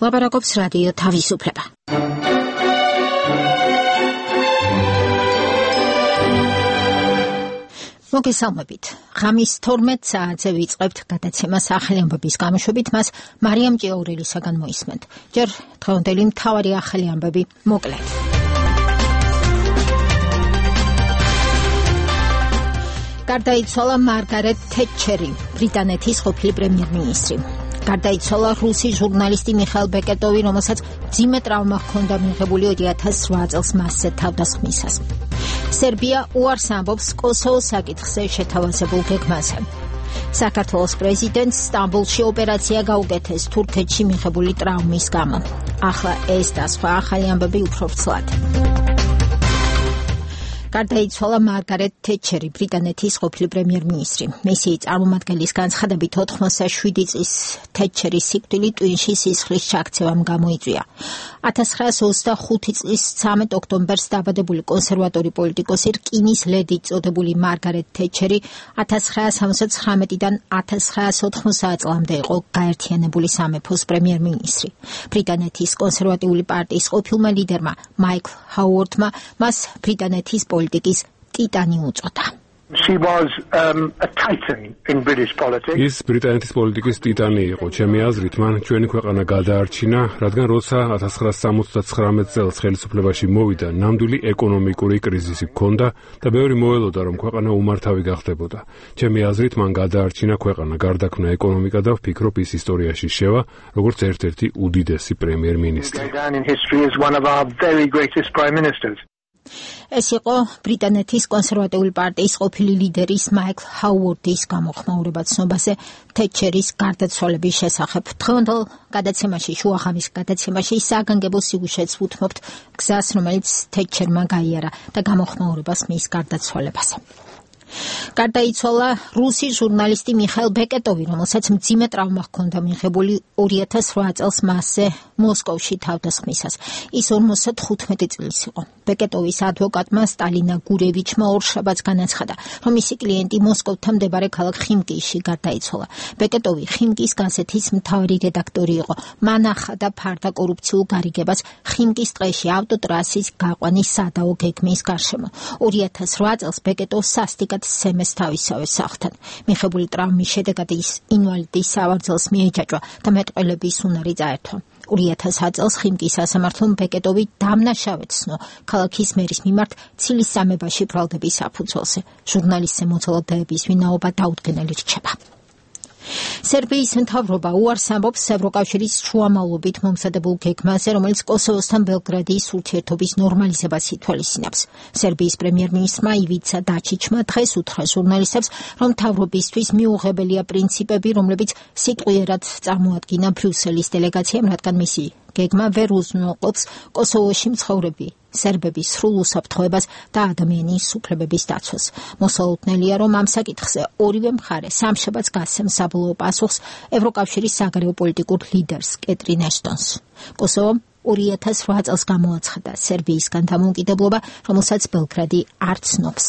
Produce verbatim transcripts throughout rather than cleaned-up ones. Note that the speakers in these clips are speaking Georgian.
ლაპარაკობს რადიო თავისუფლება. მოგესალმებით. ღამის თორმეტ საათზე ვიწყებთ გადაცემას ახალი ამბების გამოშვებით, მას მარიამ ჭიაურელისაგან მოისმენთ. ჯერ დღევანდელი მთავარი ახალი ამბები მოკლედ. გარდაიცვალა მარგარეტ თეტჩერი, ბრიტანეთის ყოფილი პრემიერ-მინისტრი. გარდაიცვალა რუსი ჟურნალისტი მიხაილ ბეკეტოვი, რომელსაც მძიმე ტრავმა ჰქონდა მიღებული ორი ათას რვა წელს მასზე თავდასხმისას. სერბია უარს ამბობს კოსოვოს საკითხზე შეთავაზებულ გეგმაზე. საქართველოს პრეზიდენტს სტამბოლში ოპერაცია გაუკეთეს თურქეთში მიღებული ტრავმის გამო. ახლა ეს და სხვა ახალი ამბები უფრო ვრცლად. გარდაიცვალა მარგარეტ თეტჩერი, ბრიტანეთის ყოფილი პრემიერ-მინისტრი. მისი წარმომადგენლის განცხადებით ოთხმოცდაშვიდი წლის თეტჩერის სიკვდილი ტვინში სისხლის ჩაქცევამ გამოიწვია. ათას ცხრაას ოცდახუთი წლის ცამეტ ოქტომბერს დაბადებული კონსერვატორი პოლიტიკოსი რკინის ლედი წოდებული მარგარეტ თეტჩერი ათას ცხრაას ორმოცდაათი წლიდან ათას ცხრაას ოთხმოცდაათ წლამდე იყო გაერთიანებული სამეფოს პრემიერ-მინისტრი. ბრიტანეთის კონსერვატიული პარტიის ყოფილმა ლიდერმა მაიკლ ჰაუორდმა მას ბრიტანეთის პოლიტიკის ტიტანი უწოდა. She was um, a titan in British politics. ის ბრიტანეთის პოლიტიკის ტიტანი იყო. ჩემი აზრით, მან ჩვენი ქვეყანა გადაარჩინა, რადგან როცა ათას ცხრაას სამოცდათხრამეტ წელს ხელისუფლებაში მოვიდა, ნამდვილი ეკონომიკური კრიზისი ჰქონდა და ბევრი მოელოდა, რომ ქვეყანა უმართავი გახდებოდა. ჩემი აზრით, მან გადაარჩინა ქვეყანა, გარდაქმნა ეკონომიკა და ვფიქრობ, ის ისტორიაში შევა, როგორც ერთ-ერთი უდიდესი პრემიერ-მინისტრი. ეს იყო ბრიტანეთის კონსერვატიული პარტიის ყოფილი ლიდერის მაიკლ ჰაუორდის გამოხმაურება ცნობაზე თეტჩერის გარდაცვალების შესახებ. დღევანდელ გადაცემაში, შუახამის გადაცემაში საგანგებო სიუჟეტს ვუთმობთ გზას, რომელიც თეტჩერმა გაიარა და გამოხმაურებას მის გარდაცვალებაზე. გარდაიცვალა რუსი ჟურნალისტი მიხაილ ბეკეტოვი, რომელსაც მძიმე ტრავმა ჰქონდა მიღებული ორი ათას რვა წელს მასზე მოსკოვში თავდასხმისას. ის ორმოცდათხუთმეტი წლის იყო. ბეკეტოვის ადვოკატმა სტალინა გურევიჩმა ორშაბათს განაცხადა, რომ მისი კლიენტი მოსკოვთან მდებარე ქალაქ ხიმკიში გარდაიცვალა. ბეკეტოვი ხიმკის გაზეთის მთავარი რედაქტორი იყო. მან ახადა ფარდა კორუფციულ გარიგებას ხიმკის ტყეში ავტოტრასის გაყვანის სადაო გეგმის გარშემო. ორი ათას რვა წელს ბეკეტოვს სასტიკად სემეს თავისავე სახლთან. მიღებული ტრავმის შედეგად ის ინვალიდის სავარძელს მიეჯაჭვა და მეტყველების უნარი წაერთვა. ორი ათას წელს ხიმკის სასამართლომ ბეკეტოვი დამნაშავედ ცნო ქალაქის მერის მიმართ ცილის სამებაში ბრალდების საფუძველზე. ჟურნალისტზე მოწოდების ვინაობა დაუდგენელი რჩება. სერბიის მთავრობა უარს ამბობს ევროკავშირის შუამავლობით მომზადებულ გეგმაზე, რომელიც კოსოვოსთან ბელგრადის ურთიერთობის ნორმალიზებას ითვალისწინებს. სერბიის პრემიერ-მინისტრმა ივიცა დაჩიჩმა დღეს უთხრა ჟურნალისტებს, რომ მთავრობისთვის მიუღებელია პრინციპები, რომლებიც სიტყვიერად წარმოადგინა ბრიუსელის დელეგაციამ, რადგან მისი გეგმა ვერ უზრუნველყოფს კოსოვოში მცხოვრები სერბების სრულ უსაფრთხოებას და ადამიანის უფლებების დაცვას. მოსალოდნელია, რომ ამ საკითხზე ორივე მხარე სამშაბათს გასცემს საბოლოო პასუხს ევროკავშირის საგარეო პოლიტიკურ ლიდერს კეტრინ ეშტონს. კოსოვომ ორი ათას რვა წელს გამოაცხადა სერბიისგან დამოუკიდებლობა, რომელსაც ბელგრადი არ ცნობს.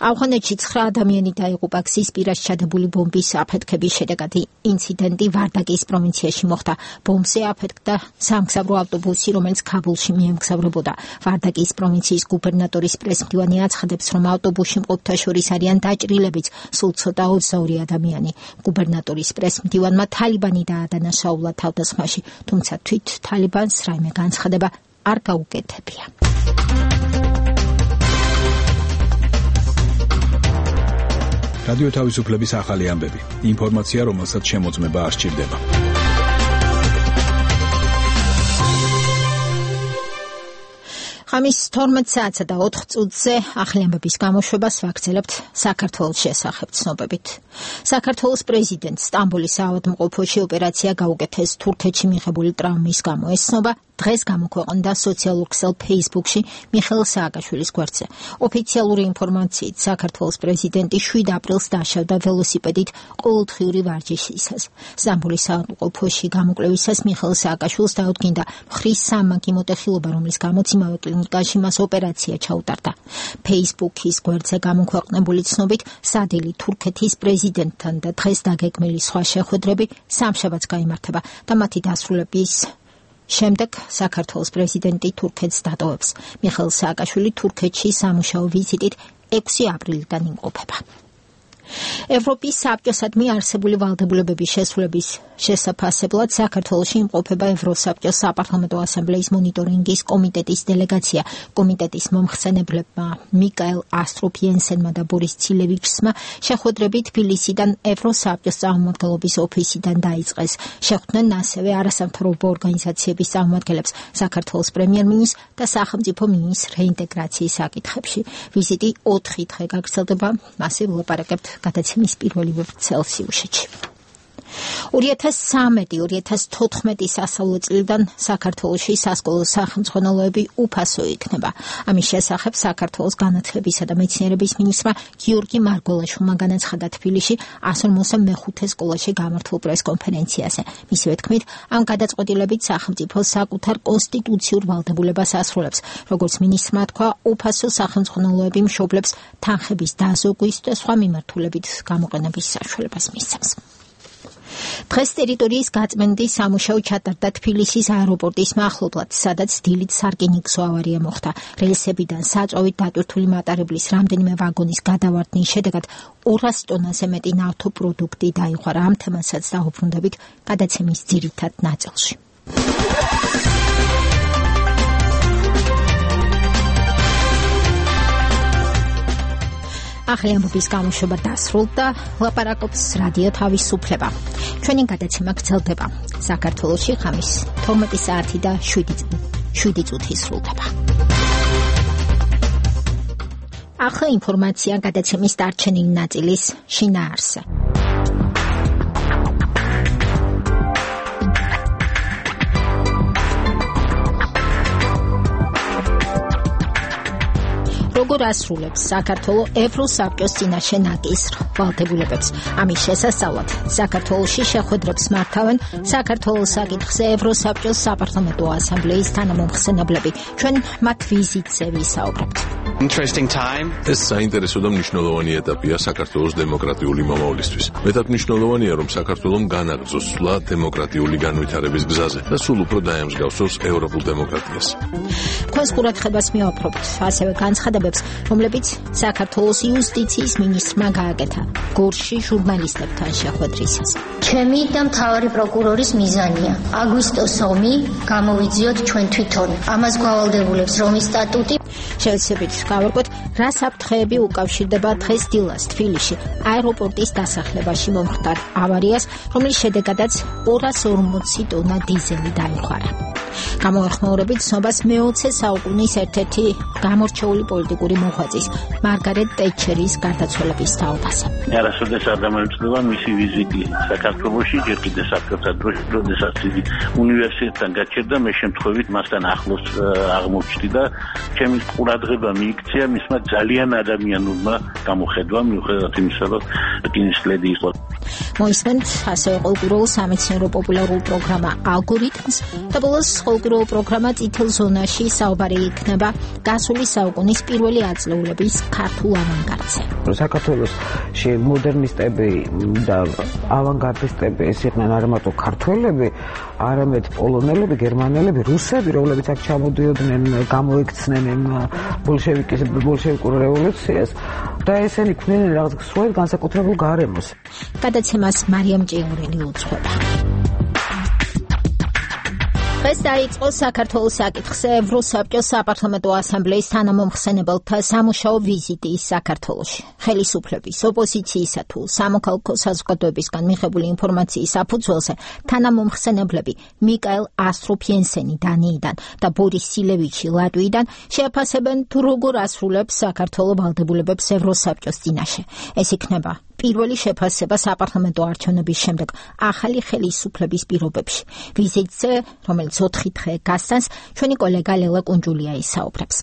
ავღანეთში ცხრა ადამიანი დაიღუპა გზის პირას ჩადებული ბომბის აფეთქების შედეგად. ინციდენტი ვარდაკის პროვინციაში მოხდა. ბომბზე აფეთქდა სამგზავრო ავტობუსი, რომელიც ქაბულში მიემგზავრებოდა. ვარდაკის პროვინციის გუბერნატორის პრესმდივანი აცხადებს, რომ ავტობუსში მყოფთა შორის არიან დაჭრილებიც სულ ცოტა ოცდაორი ადამიანი. გუბერნატორის პრესმდივანმა თალიბანი დაადანაშაულა თავდასხმაში, თუმცა თვით თალიბანს რაიმე განცხადება არ გაუკეთებია. რადიო თავისუფლების ახალი ამბები. ინფორმაცია, რომელსაც შემოწმება არ სჭირდება. ღამის თორმეტ საათსა და ოთხ წუთზე ახალი ამბების გამოშვებას ვაგრძელებთ საქართველოს შესახებ ცნობებით. საქართველოს პრეზიდენტს სტამბოლის საავადმყოფოში ოპერაცია გაუკეთეს თურქეთში მიღებული ტრავმის გამო. ეს ცნობა დღეს გამოქვეყნდა სოციალურ ქსელ Facebook-ში მიხეილ სააკაშვილის გვერდზე. ოფიციალური ინფორმაციით, საქართველოს პრეზიდენტი შვიდ აპრილს დაშავდა ველოსიპედით ყოველდღიური ვარჯიშისას. სტამბოლის საავადმყოფოში გამოკვლევისას მიხეილ სააკაშვილს დაუდგინდა მხრის სამმაგი მოტეხილობა, რომლის გამოც იმავე კლინიკაში მას ოპერაცია ჩაუტარდა. Facebook-ის გვერდზე გამოქვეყნებული ცნობით, სადილი თურქეთის პრეზიდენტთან და დღეს დაგეგმილი სხვა შეხვედრები სამშაბათს გაიმართება და მათი დასრულების შემდეგ საქართველოს პრეზიდენტი თურქეთს დატოვებს. მიხეილ სააკაშვილი თურქეთში სამუშაო ვიზიტით ექვსი აპრილიდან იმყოფება. ევროპის საბჭოსადმი არსებული ვალდებულებების შესრულების შესაფასებლად საქართველოში იმყოფება ევროსაბჭოს საპარლამენტო ასამბლეის მონიტორინგის კომიტეტის დელეგაცია. კომიტეტის მომხსენებლებმა მიკაელ ასტროფიენსენმა და ბორის ცილევიჩსმა შეხვედრები თბილისიდან ევროსაბჭოს წარმომადგენლობის ოფისიდან დაიწყეს. შეხვდნენ ასევე არასამთავრობო ორგანიზაციების წარმომადგენლებს, საქართველოს პრემიერ-მინისტრს და სახელმწიფო მინისტრს რეინტეგრაციის საკითხებში. ვიზიტი ოთხი დღე გაგრძელდება, მასე ვილაპარაკებთ გადაცემის პირველი წელსიუშეთში. ორი ათას ცხრამეტი ორი ათას თოთხმეტი სასწავლო წლიდან საქართველოში სასკოლო სახელმძღვანელოები უფასო იქნება. ამის შესახებ საქართველოს განათლებისა და მეცნიერების მინისტრმა გიორგი მარგველაშვილმა განაცხადა თბილისში ას ორმოცდე მეხუთე სკოლაში გამართულ პრესკონფერენციაზე. მისივე თქმით, ამ გადაწყვეტილებით სახელმწიფო საკუთარ კონსტიტუციურ ვალდებულებას ასრულებს. როგორც მინისტრმა თქვა, უფასო სახელმძღვანელოები მშობლებს თანხების დაზოგვის და სხვა მიმართულებით გამოყენების საშუალებას მისცემს. დღეს ტერიტორიის გაწმენდის სამუშაო ჩატარდა თბილისის აეროპორტის მახლობლად, სადაც დილით სარკინიგზო ავარია მოხდა. რელსებიდან საწვავით დატვირთული მატარებლის რამდენიმე ვაგონის გადავარდნის შედეგად ორას ტონაზე მეტი ნავთობპროდუქტი დაიღარა. ამ თემასაც დავუბრუნდებით გადაცემის ძირითად ნაწილში. ახალი ამბების გამოშვება დასრულდა, ლაპარაკობს რადიო თავისუფლება. ჩვენი გადაცემა გრძელდება. საქართველოში ხამის თორმეტი საათი და შვიდი წუთი სრულდება. ახლა ინფორმაცია გადაცემის დარჩენილი ნაწილის შინაარსზე. როგორ ასრულებს საქართველოს ევროსაბჭოს წინაშე ნაკისრ ვალდებულებებს? ამის შესასწავლად საქართველოში შეხვედრებს მართავენ საქართველოს საკითხზე ევროსაბჭოს საპარლამენტო ასამბლეის თანამომხსენებლები. ჩვენ მათ ვიზიტზე ვისაუბრებთ. Interesting time. ეს საინტერესო და მნიშვნელოვანი ეტაპია საქართველოს დემოკრატიული მომავლისთვის. მეტად მნიშვნელოვანია, რომ საქართველოს განაგრძოს სვლა დემოკრატიული განვითარების გზაზე და სულ უფრო დაემსგავსოს ევროპულ დემოკრატიას. თქვენს ყურადღებას მივაპყრობთ ასევე განცხადებებს, რომლებიც საქართველოს იუსტიციის მინისტრმა გააკეთა გორში ჟურნალისტებთან შეხვედრისას. ჩემი და მთავარი პროკურორის მიზანია აგვისტოს ომი გამოვიძიოთ ჩვენ თვითონ. ამას გვავალდებულებს რომის სტატუტი. შევეცდებით გავარკვევთ, რა საფრთხეები უკავშირდება დღეს დილას თბილისში აეროპორტის დასახლებაში მომხდარ ავარიას, რომლის შედეგადაც ორას ორმოცი ტონა დიზელი დაიხარა. გამოეხმაურებით ცნობას მეოცე საუკუნის ერთ-ერთი გამორჩეული პოლიტიკური მოღვაწის მარგარეტ ტეტჩერის გარდაცვალების თაობაზე. არასოდეს არ დამოუკიდება მისი ვიზიტი საქართველოში, ჯერ კიდე საქართველოს დროში, როდესაც იგი უნივერსიტეტთან გაჩერდა, მე შემთხვევით მასთან ახლოს აღმოჩნდი და ჩემი ყურადღება მიიქცია მისმა ძალიან ადამიანურმა გამოხედვამ, მიუხედავად იმისა, რომ კინოსკლედი იყო. მოისმენთ ასევე ყოველდღიურ სამეცნიერო პოპულარულ პროგრამა ალგორითმს და ბოლოს ყოველდღიურ პროგრამა წითელ ზონაში საუბარი იქნება გასული საუკუნის პირველი ათწლეულების ქართულ ავანგარდზე. საქართველოში მოდერნისტები და ავანგარდისტები ეს იყვნენ არა მარტო ქართველები, არამედ პოლონელები, გერმანელები, რუსები, რომლებიც აქ ჩამოდიოდნენ, გამოიქცნენ ბოლშევიკის ბოლშევიკურ რევოლუციას და ესენი ქმნიან რაღაც სრულად განსაკუთრებულ გარემოს. გადაცემას მარიამ ჭიურელი უძღვება. დღეს დაიწყო საქართველოს საკითხზე ევროსაბჭოს საპარლამენტო ასამბლეის თანამომხსენებელთა სამუშაო ვიზიტი საქართველოში. ხელისუფლების, ოპოზიციისა თუ სამოქალაქო საზოგადოებისგან მიღებული ინფორმაციის საფუძველზე თანამომხსენებლები მიკაელ ასტროფიენსენი დანიიდან და ბორის ცილევიჩი ლატვიიდან შეაფასებენ თუ როგორ ასრულებს საქართველოს ვალდებულებებს ევროსაბჭოს წინაშე. ეს იქნება პირველი შეფასება საპარლამენტო არჩევნების შემდეგ ახალი ხელისუფლების პირობებში. ვიზიტზე, რომელიც ოთხი დღე გასცემს, ჩვენი კოლეგა ლელა კუნჯულია ისაუბრებს.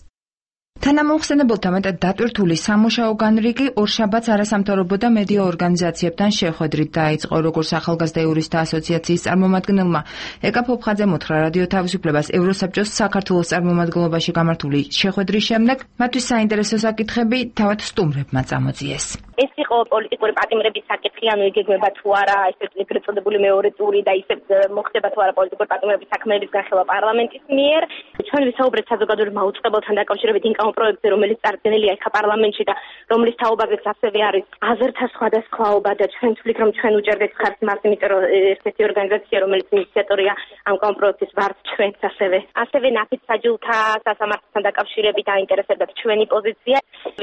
თანამოხსენებელთა მეტად დატვირთული სამუშაო განრიგი ორშაბათს არასამთავრობო და მედია ორგანიზაციებთან შეხვედრით დაიწყო, როგორც ახალგაზრდა იურისტთა ასოციაციის წარმომადგენელმა ეკა ფოფხაძემ უთხრა რადიო თავისუფლებას ევროსაბჭოს საქართველოს წარმომადგენლობაში გამართული შეხვედრის შემდეგ მათთვის საინტერესო საკითხები თავად სტუმრებმა წამოწიეს. ეს იყო პოლიტიკური პატიმრების საკითხი, ანუ იგეგმება თუ არა ესე ეგრეთ წოდებული მეორე ტური და ისე მოხდება თუ არა პოლიტიკური პატიმრების საქმეების განხილვა პარლამენტის მიერ. ჩვენ ვისაუბრეთ საზოგადოებრივ მაუწყებელთან დაკავშირებით ინკამ პროექტზე, რომელიც წარდგენილია ახლა პარლამენტში და რომლის თაობაზეც ასევე არის აზერთა სხვადასხვაობა და ჩვენ ვთვლით, რომ ჩვენ უჭერდეთ ხარს მას, იმიტომ რომ ესეთი ორგანიზაცია, რომელიც ინიციატორია ამ კამპროექტის ვართ ჩვენც ასევე. ასევე ნაფიც საჯულთა სასამართლოსთან დაკავშირებით აინტერესებდა ჩვენი პოზიცია.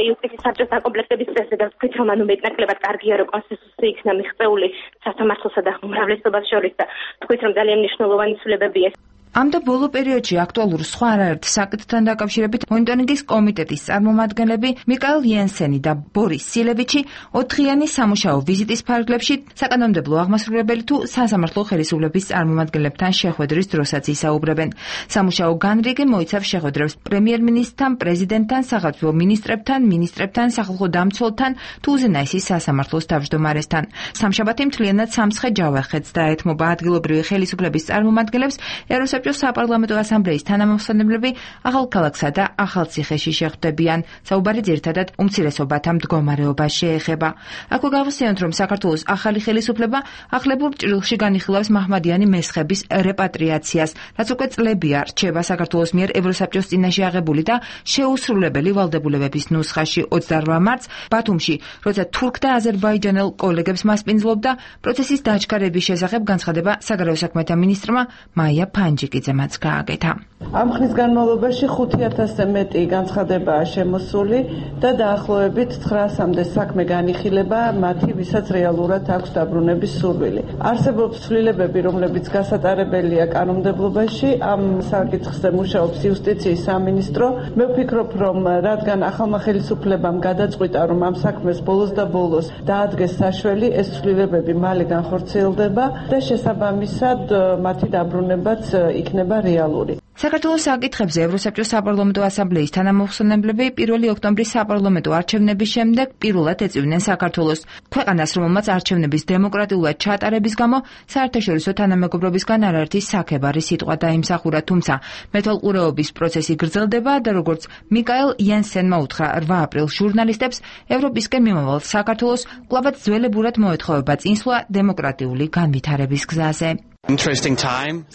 იუსტიციის საბჭოს დაკომპლექტების წესზე და ვთქვით, რომ ანუ მეტნაკლებად კარგია, რომ კონსტიტუცია იქნა მიღწეული სასამართლოსა და უმრავლესობას შორის და ვთქვით, რომ ძალიან მნიშვნელოვანი ცვლილებებია. ამ და ბოლო პერიოდში აქტუალურ სხვა არაერთ საკითხთან დაკავშირებით მონიტორინგის კომიტეტის წარმომადგენლები მიკაელ იენსენი და ბორის სილევიჩი ოთხიანი სამუშაო ვიზიტის ფარგლებში საკანონმდებლო აღმასრულებელი თუ სასამართლო ხელისუფლების წარმომადგენლებთან შეხვედრის დროსაც ისაუბრებენ. სამუშაო განრიგი მოიცავს შეხვედრებს პრემიერ-მინისტრთან, პრეზიდენტთან, სახელმწიფო მინისტრებთან, მინისტრებთან, სახალხო დამცველთან თუ უზენაესის სასამართლოს თავმჯდომარესთან. სამშაბათი მთლიანად სამცხე ჯავახეთს დაეთმობა ადგილობრივი ხელისუფლების წარმომადგენლებს ევროსაბჭოს საპარლამენტო ასამბლეის თანამოხსენებლები ახალქალაქსა და ახალციხეში შეხვდებიან. საუბარი ძირითადად უმცირესობათა მდგომარეობას შეეხება. აქვე გავხსენოთ, რომ საქართველოს ახალი ხელისუფლება ახლებურ ჭრილში განიხილავს მაჰმადიანი მესხების რეპატრიაციას, რაც უკვე წლებია რჩება საქართველოს მიერ ევროსაბჭოს წინაშე აღებული და შეუსრულებელი ვალდებულებების ნუსხაში. ოცდაორ მარტს ბათუმში, როცა თურქ და აზერბაიჯანელ კოლეგებს მასპინძლობდა, პროცესის დაჩქარების შესახებ განცხადება საგარეო საქმეთა მინისტრმა მაია ფანჯი კიძემაც გააკეთა. ამ ხნის განმავლობაში ხუთი ათასზე მეტი განცხადებაა შემოსული და დაახლოებით ცხრაასამდე საქმე განიხილება მათი, ვისაც რეალურად აქვს დაბრუნების სურვილი. არსებობს ცვლილებები, რომლებიც გასატარებელია კანონმდებლობაში, ამ საკითხზე მუშაობს იუსტიციის სამინისტრო. მე ვფიქრობ, რომ რადგან ახალმა ხელისუფლებამ გადაწყვიტა, რომ ამ საქმეს ბოლოს და ბოლოს დაადგეს საშველი, ეს ცვლილებები მალე განხორციელდება და შესაბამისად მათი დაბრუნებაც იქნება რეალური. საქართველოს საკითხებზე ევროსაბჭოს საპარლამენტო ასამბლეის თანამოხსენებლები პირველი ოქტომბრის საპარლამენტო არჩევნების შემდეგ პირველად ეწვივნენ საქართველოს. ქვეყანას, რომელმაც არჩევნების დემოკრატიულად ჩატარების გამო საერთაშორისო თანამეგობრობისგან არაერთი საქებარი სიტყვა დაიმსახურა, თუმცა მეთვალყურეობის პროცესი გრძელდება და როგორც მიკაელ იენსენმა უთხრა რვა აპრილს ჟურნალისტებს, ევროპისკენ მიმავალ საქართველოს კვლავაც ძველებურად მოეთხოვება წინსვლა დემოკრატიული განვითარების გზაზე.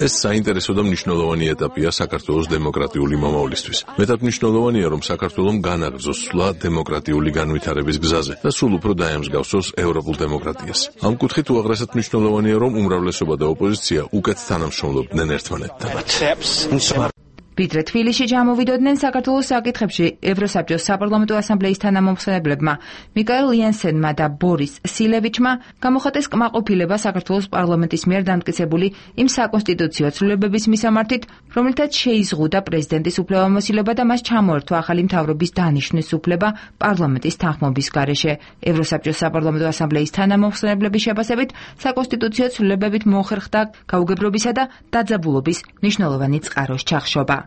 ეს საინტერესო და მნიშვნელოვანი ეტაპია საქართველოს დემოკრატიული მომავლისთვის. მეტად მნიშვნელოვანია, რომ საქართველოს განაგრძოს სვლა დემოკრატიული განვითარების გზაზე და სულ უფრო დაემსგავსოს ევროპულ დემოკრატიას. ამ კუთხით უაღრესად მნიშვნელოვანია, რომ უმრავლესობა და ოპოზიცია უკეთ თანამშრომლობდნენ ერთმანეთთან. ვიდრე თბილისში ჩამოვიდოდნენ საქართველოს საკითხებში ევროსაბჭოს საპარლამენტო ასამბლეის თანამოხსენებლებმა მიკაელ იენსენმა და ბორის სილევიჩმა გამოხატეს კმაყოფილება საქართველოს პარლამენტის მიერ დამტკიცებული იმ საკონსტიტუციო ცვლილებების მისამართით, რომელთაც შეიზღუდა პრეზიდენტის უფლებამოსილება და მას ჩამოერთვა ახალი მთავრობის დანიშვნის უფლება პარლამენტის თანხმობის გარეშე. ევროსაბჭოს საპარლამენტო ასამბლეის თანამოხსენებლების შეფასებით საკონსტიტუციო ცვლილებებით მოხერხდა გაუგებრობისა და დაძაბულობის მნიშვნელოვანი წყაროს ჩახშობა.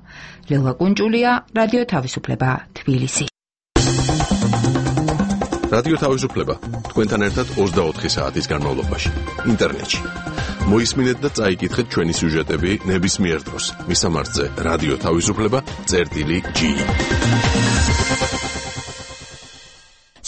ლელა კუნჯულია, რადიო თავისუფლება, თბილისი. რადიო თავისუფლება თქვენთან ერთად ოცდაოთხი საათის განმავლობაში ინტერნეტში. მოისმინეთ და წაიკითხეთ ჩვენი სიუჟეტები ნებისმიერ დროს. მისამართზე რადიო თავისუფლება წერტილი ჯი.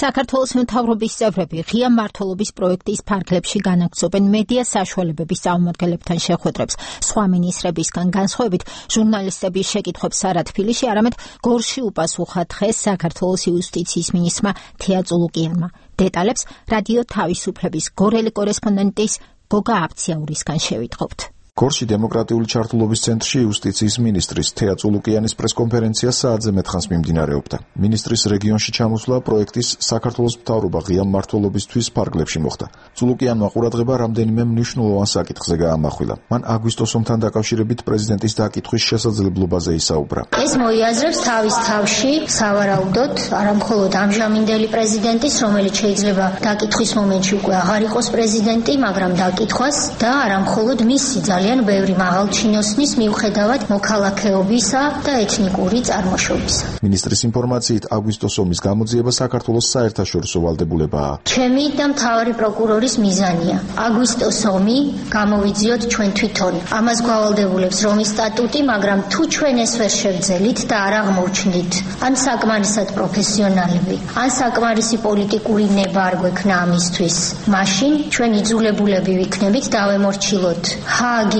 საქართველოს მთავრობის წევრები ღია მმართველობის პროექტის ფარგლებში განაგრძობენ მედია საშუალებების წარმომადგენლებთან შეხვედრებს. სხვა მინისტრებისგან განსხვავებით, ჟურნალისტების შეკითხვებს არა თბილისში, არამედ გორში უპასუხა დღეს საქართველოს იუსტიციის მინისტრმა თეა წულუკიანმა. დეტალებს რადიო თავისუფლების გორელი კორესპონდენტის გოგა აფციაურისგან შევიტყობთ. გორში დემოკრატიული ჩართულობის ცენტრში იუსტიციის მინისტრის თეა წულუკიანის პრესკონფერენცია საათზე მეტხანს მიმდინარეობდა. მინისტრის რეგიონში ჩამოსვლა პროექტის საქართველოს მთავრობა ღია მმართველობისთვის ფარგლებში მოხდა. წულუკიანმა ყურადღება რამდენიმე მნიშვნელოვან საკითხზე გაამახვილა. მან აგვისტოს ომთან დაკავშირებით პრეზიდენტის დაკითხვის შესაძლებლობაზე ისაუბრა. ეს მოიაზრებს თავის თავში სავარაუდოდ არამხოლოდ ამჟამინდელი პრეზიდენტის, რომელიც შეიძლება დაკითხვის მომენტში უკვე აღარ იყოს პრეზიდენტი, მაგრამ დაკითხვას და არამხოლოდ მისი ძალიან ბევრი მაღალჩინოსნის მიუხედავად მოქალაქეობისა და ეთნიკური წარმოშობისა. მინისტრის ინფორმაციით აგვისტოს ომის გამოძიება საქართველოს საერთაშორისო ვალდებულებაა. ჩემი და მთავარი პროკურორის მიზანია აგვისტოს ომი გამოვიძიოთ ჩვენ თვითონ. ამას გვავალდებულებს რომის სტატუტი, მაგრამ თუ ჩვენ ეს ვერ შევძელით და არ აღმოჩნდით ან საკმარისად პროფესიონალები, ან საკმარისი პოლიტიკური ნება არ გვექნა ამისთვის, მაშინ ჩვენ იძულებულები ვიქნებით დავემორჩილოთ ჰააგის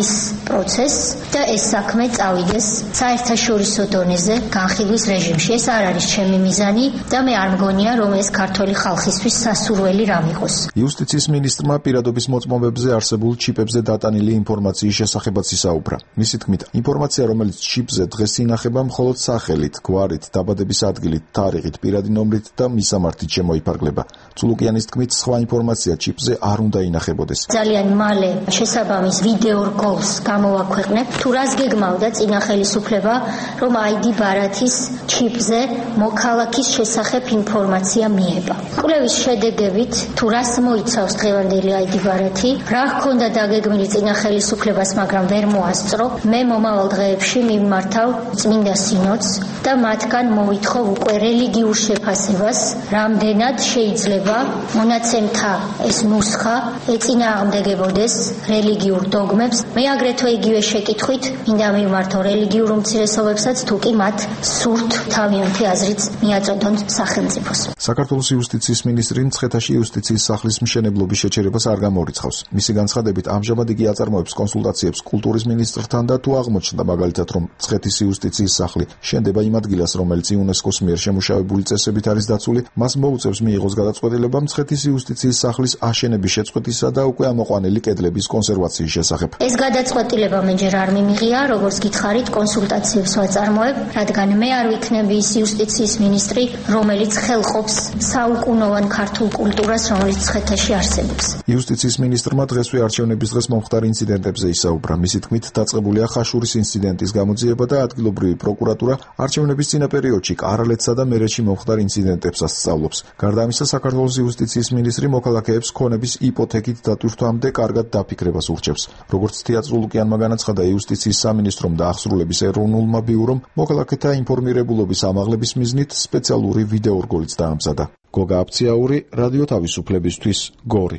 პროცესს და ეს საქმე წავიდეს საერთაშორისო დონეზე განხილვის რეჟიმში. ეს არ არის ჩემი მიზანი და მე არ მგონია, რომ ეს ქართული ხალხისთვის სასურველი რამ იყოს. იუსტიციის მინისტრმა პირადობის მოწმობებზე არსებულ ჩიპებზე დატანილი ინფორმაციის შესახებაც ისაუბრა. მისი თქმით, ინფორმაცია, რომელიც ჩიპზე დღეს ინახება, მხოლოდ სახელით, გვარით, დაბადების ადგილით, თარიღით, პირადი ნომრით და მისამართით შემოიფარგლება. წულუკიანის თქმით, სხვა ინფორმაცია ჩიპზე არ უნდა ინახებოდეს. ძალიან მალე შესაბამის ვიდეო რგოლს გამოვაქვეყნებ. თუ რას გეგმავდა წინა ხელისუფლება, რომ აიდი ბარათის ჩიპზე მოქალაქის შესახებ ინფორმაცია მიება. კვლევის შედეგებით, თუ რას მოიცავს დღევანდელი აიდი ბარათი, რა ჰქონდა დაგეგმილი წინა ხელისუფლებას, მაგრამ ვერ მოასწრო, მე მომავალ დღეებში მიმართავ წმინდა სინოდს და მათგან მოვითხოვ უკვე რელიგიურ შეფასებას, რამდენად შეიძლება მონაცემთა ეს ნუსხა ეწინააღმდეგებოდეს რელიგიურ დოგმებს. მე აგრეთვე იგივე შეკითხვით მინდა მიმართო რელიგიურ უმცირესობებსაც, თუ კი მათ სურთ თავიანთი აზრიც მიაწოდონ სახელმწიფოს. საქართველოს იუსტიციის მინისტრი მცხეთაში იუსტიციის სახლის მშენებლობის შეჩერებას არ გამორიცხავს. მისი განცხადებით, ამჟამად იგი აწარმოებს კონსულტაციებს კულტურის მინისტრთან და თუ აღმოჩნდა მაგალითად, რომ მცხეთის იუსტიციის სახლი შენდება იმ ადგილას, რომელიც იუნესკოს მიერ შემუშავებული წესებით არის დაცული, მას მოუწევს მიიღოს გადაწყვეტილება მცხეთის იუსტიციის სახლის აშენების შეწყვეტისა და უკვე ამოყვანილი კედლების კონსერვაციის შესახებ. ეს გადაწყვეტილება მე ჯერ არ მიმიღია, როგორც გითხარით, კონსულტაციებს ვაწარმოებ, რადგან მე არ ვიქნები ის იუსტიციის მინისტრი, რომელიც ხელყოფს საუკუნოვან ქართულ კულტურას, რომელიც მცხეთაში არსებობს. იუსტიციის მინისტრმა დღესვე არჩევნების დღეს მომხდარ ინციდენტებზე ისაუბრა. მისი თქმით, დაწყებულია ხაშურის ინციდენტის გამოძიება და ადგილობრივი პროკურატურა არჩევნების წინა პერიოდში კარალეთსა და მერეთში მომხდარ ინციდენტებსაც სწავლობს. გარდა ამისა, საქართველოს იუსტიციის მინისტრი მოქალაქეებს ქონების იპოთეკით დატვირთვამდე კარგად დაფიქრებას ურჩევს. როგორც თეა წულუკიანმა განაცხადა იუსტიციის სამინისტრომ და აღსრულების ეროვნულმა ბიურომ, მოქალაქეთა ინფორმირებულობის ამაღლების მიზნით სპეციალური ვიდეო რგოლიც დაამზადა. გოგა აფციაური, რადიო თავისუფლებისთვის, გორი.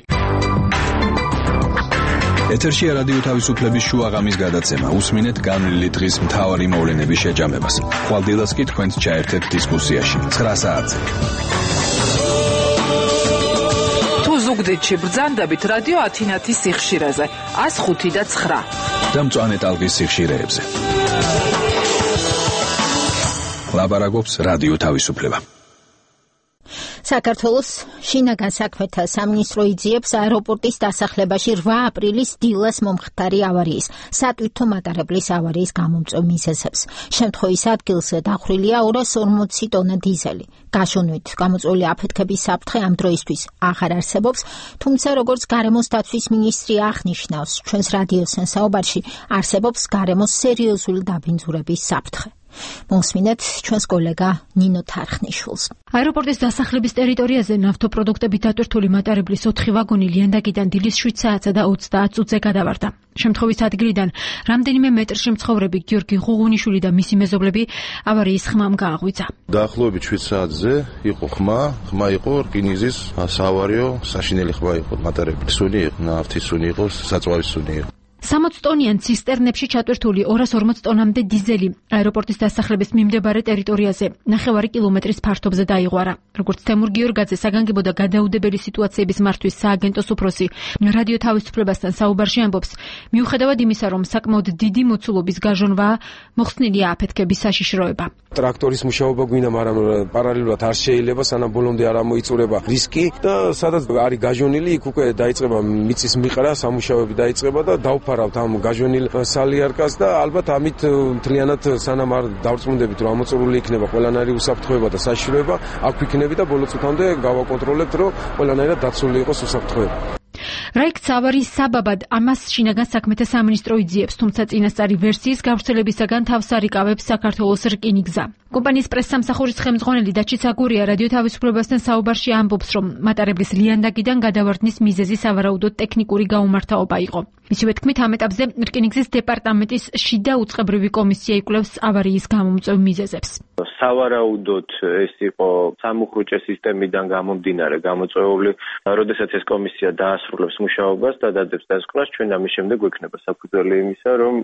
ეთერშია რადიო თავისუფლების შუაღამის გადაცემა. უსმინეთ განვლილი დღის მთავარი მოვლენების შეჯამებას. ხვალდილას კი თქვენს ჩაერთეთ დისკუსიაში. ცხრა საათზე. თუ ზუგდიდში ბრძანდებით რადიო ათინათის სიხშირეზე ათს ხუთი და ცხრა. და მწვანე ტალღის სიხშირეებზე. ლაბარაკობს რადიო თავისუფლება. საქართველოს შინაგან საქმეთა სამინისტრო იძიებს აეროპორტის დასახლებაში რვა აპრილის დილას მომხდარი ავარიის სატვირთო მატარებლის ავარიის გამომწვევ მიზეზებს. შემთხვევის ადგილზე დახვრილია ორას ორმოცი ტონა დიზელი. გაშონვით გამოწვეული აფეთქების საფრთხე ამ დროისთვის აღარ არსებობს, თუმცა როგორც გარემოს დაცვის მინისტრი აღნიშნავს, ჩვენს რადიოსთან საუბარში არსებობს გარემოს სერიოზული დაბინძურების საფრთხე. მოსმინეთ ჩვენს კოლეგა ნინო თარხნიშვილს. აეროპორტის დასახლების ტერიტორიაზე ნავთობპროდუქტებით დატვირთული მატარებლის ოთხი ვაგონი ლიანდაგიდან დილის შვიდ საათსა და ოცდაათ წუთზე გადავარდა. შემთხვევის ადგილიდან რამდენიმე მეტრში მცხოვრები გიორგი ღუღუნიშვილი და მისი მეზობლები ავარიის ხმამ გააღვიძა. დაახლოებით შვიდ საათზე იყო ხმა, ხმა იყო რკინიგზის საავარიო საშინელი ხმა იყო, მატარებლის სუნი იყო, ნავთის სუნი იყო, საწვავის სუნი იყო. სამოც ტონიან ცისტერნებში ჩატვირთული ორას ორმოც ტონამდე დიზელი აეროპორტის დასახლების მიმდებარე ტერიტორიაზე ნახევარი კილომეტრის ფართობზე დაიღვარა. როგორც თემურ გიორგაძე, საგანგებო და გადაუდებელი სიტუაციების მართვის სააგენტოს უფროსი რადიო თავისუფლებასთან საუბარში ამბობს, მიუხედავად იმისა, რომ საკმაოდ დიდი მოცულობის გაჟონვაა, მოხსნილია აფეთქების საშიშროება. ტრაქტორის მუშაობა გვინდა, მაგრამ პარალელურად არ შეიძლება, სანამ ბოლომდე არ ამოიწურება რისკი და სადაც არის გაჟონილი, იქ უკვე დაიწყება მიწის მიყრა, სამუშაოები დაიწყება და დაუფა ვაფარავთ ამ გაჟვენილ სალიარკას და ალბათ ამით მთლიანად სანამ არ დავწმუნდებით რომ ამოწურული იქნება ყველანაირი უსაფრთხოება და საშიშროება, აქ ვიქნები და ბოლო წუთამდე გავაკონტროლებთ რომ ყველანაირად დაცული იყოს უსაფრთხოება. რა იქცა ავარიის საბაბად, ამას შინაგან საქმეთა სამინისტრო იძიებს, თუმცა წინასწარი ვერსიის გავრცელებისაგან თავს არ იკავებს საქართველოს რკინიგზა. კომპანიის პრესსამსახურის ხელმძღვანელი დაჩი საგურია რადიო თავისუფლებასთან საუბარში ამბობს, რომ მატარებლის ლიანდაგიდან გადავარდნის მიზეზი სავარაუდოდ ტექნიკური გაუმართაობა იყო. მისივე თქმით, ამ ეტაპზე რკინიგზის დეპარტამენტის შიდა უწყებრივი კომისია იკვლევს ავარიის გამომწვევ მიზეზებს. სავარაუდოდ ეს იყო სამუხრუჭე სისტემიდან გამომდინარე გამოწვეული, როდესაც ეს კომისია დაასრულებს მუშაობას და დადებს დასკვნას, ჩვენ ამის შემდეგ გვექნება საფუძველი იმისა, რომ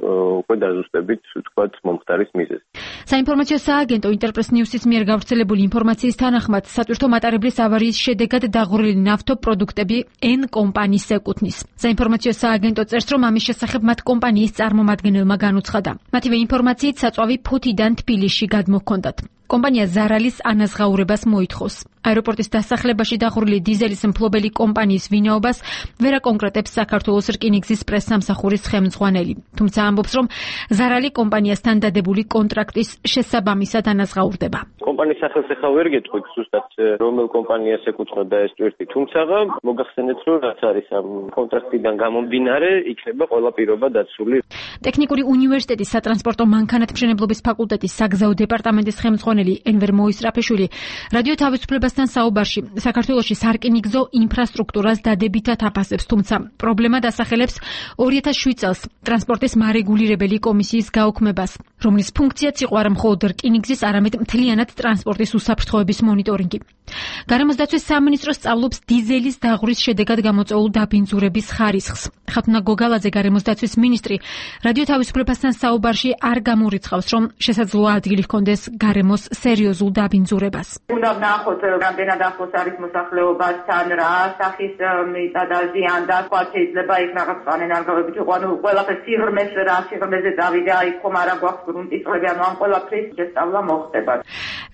უკვე დაზუსტებით, ვთქვათ, მომხდარის მიზეზი. საინფორმაციო სააგენტო ინტერპრეს ნიუსის მიერ გავრცელებული ინფორმაციის თანახმად, სატვირთო მატარებლის ავარიის შედეგად დაღურული ნავთობპროდუქტები N კომპანიას ეკუთვნის. საინფორმაციო სააგენტო წერს, რომ ამის შესახებ მათ კომპანიის წარმომადგენელმა განუცხადა. მათივე ინფორმაციით საწვავი ფუთიდან თბილისში გადმოჰქონდათ. კომპანია ზარალის ანაზღაურებას მოითხოვს. აეროპორტის დასახლებაში დახურული დიზელის მფლობელი კომპანიის ვინაობას ვერ აკონკრეტებს საქართველოს რკინიგზის პრესსამსახურის ხელმძღვანელი. თუმცა ამბობს, რომ ზარალი კომპანიასთან დადებული კონტრაქტის შესაბამისად ანაზღაურდება. კომპანიის სახელს ახლა ვერ გეტყვით ზუსტად რომელ კომპანიას ეკუთვნოდა ეს ტვირთი, თუმცა მოგახსენეთ, რომ რაც არის ამ კონტრაქტიდან გამომდინარე, იქნება ყველა პირობა დაცული. ტექნიკური უნივერსიტეტის სატრანსპორტო მანქანათმშენებლობის ფაკულტეტის საგზაო დეპარტამენტის ხელმძღვანელი ენვერ მოისრაფეშვილი რადიო თავისუფლებასთან საუბარში საქართველოში სარკინიგზო ინფრასტრუქტურას დადებითად აფასებს, თუმცა პრობლემა დასახელებს ორი ათას შვიდ წელს ტრანსპორტის მარეგულირებელი კომისიის გაუქმებას, რომლის ფუნქციაც იყო არა მხოლოდ რკინიგზის, არამედ მთლიანად ტრანსპორტის უსაფრთხოების მონიტორინგი. გარემოს დაცვის სამინისტრო სწავლობს დიზელის დაღურის შედეგად გამოწვეულ დაბინძურების ხარისხს. ხათუნა გოგალაძე, გარემოს დაცვის მინისტრი, რადიო თავისუფლებასთან საუბარში არ გამორიცხავს, რომ შესაძლოა ადგილი ჰქონდეს გარემოს სერიოზულ დაბინძურებას. უნდა ვნახოთ, რამდენად ახლოს არის მოსახლეობასთან, რა სახის მიწა და ზიან და სხვა შეიძლება იქ რაღაც პანენარგავებით იყო, ანუ ყველაფერს სიღრმეს რა სიღრმეზე დავიდა, იქ ხომ არა გვაქვს გრუნტის წყლები, ანუ ამ ყველაფრის შესწავლა მოხდება.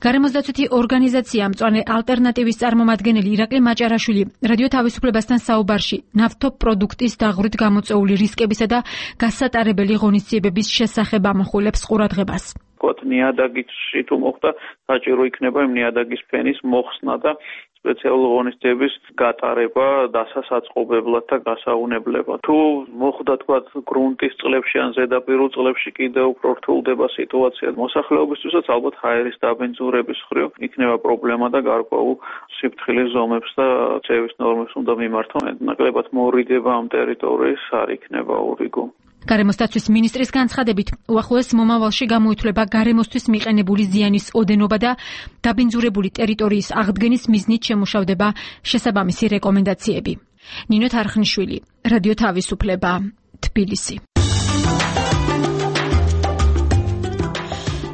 გარემოს დაცვითი ორგანიზაცია მწვანე ალტერნატივის წარმომადგენელი ირაკლი მაჭარაშვილი რადიო თავისუფლებასთან საუბარში ნავთობპროდუქტის დაღვრით გამოწვეული რისკებისა და გასატარებელი ღონისძიებების შესახებ ამახვილებს ყურადღებას. ვთქვათ, ნიადაგში თუ მოხდა, საჭირო იქნება იმ ნიადაგის ფენის მოხსნა და სპეციალური ღონისძიების გატარება დასასაწყობებლად და გასაუნებლებად. თუ მოხდა, თქვათ, გრუნტის წყლებში ან ზედაპირულ წყლებში კიდევ უფრო რთულდება სიტუაცია მოსახლეობისთვისაც, ალბათ ჰაერის დაბინძურების ხრივ იქნება პრობლემა და გარკვეულ სიფრთხილის ზომებს და წევის ნორმებს უნდა მიმართონ. ნაკლებად მორიდება ამ ტერიტორიის არ იქნება ურიგო. გარემოს დაცვის მინისტრის განცხადებით, უახლოეს მომავალში გამოითვლება გარემოსთვის მიყენებული ზიანის ოდენობა და დაბინძურებული ტერიტორიის აღდგენის მიზნით შემუშავდება შესაბამისი რეკომენდაციები. ნინო თარხნიშვილი, რადიო თავისუფლება, თბილისი.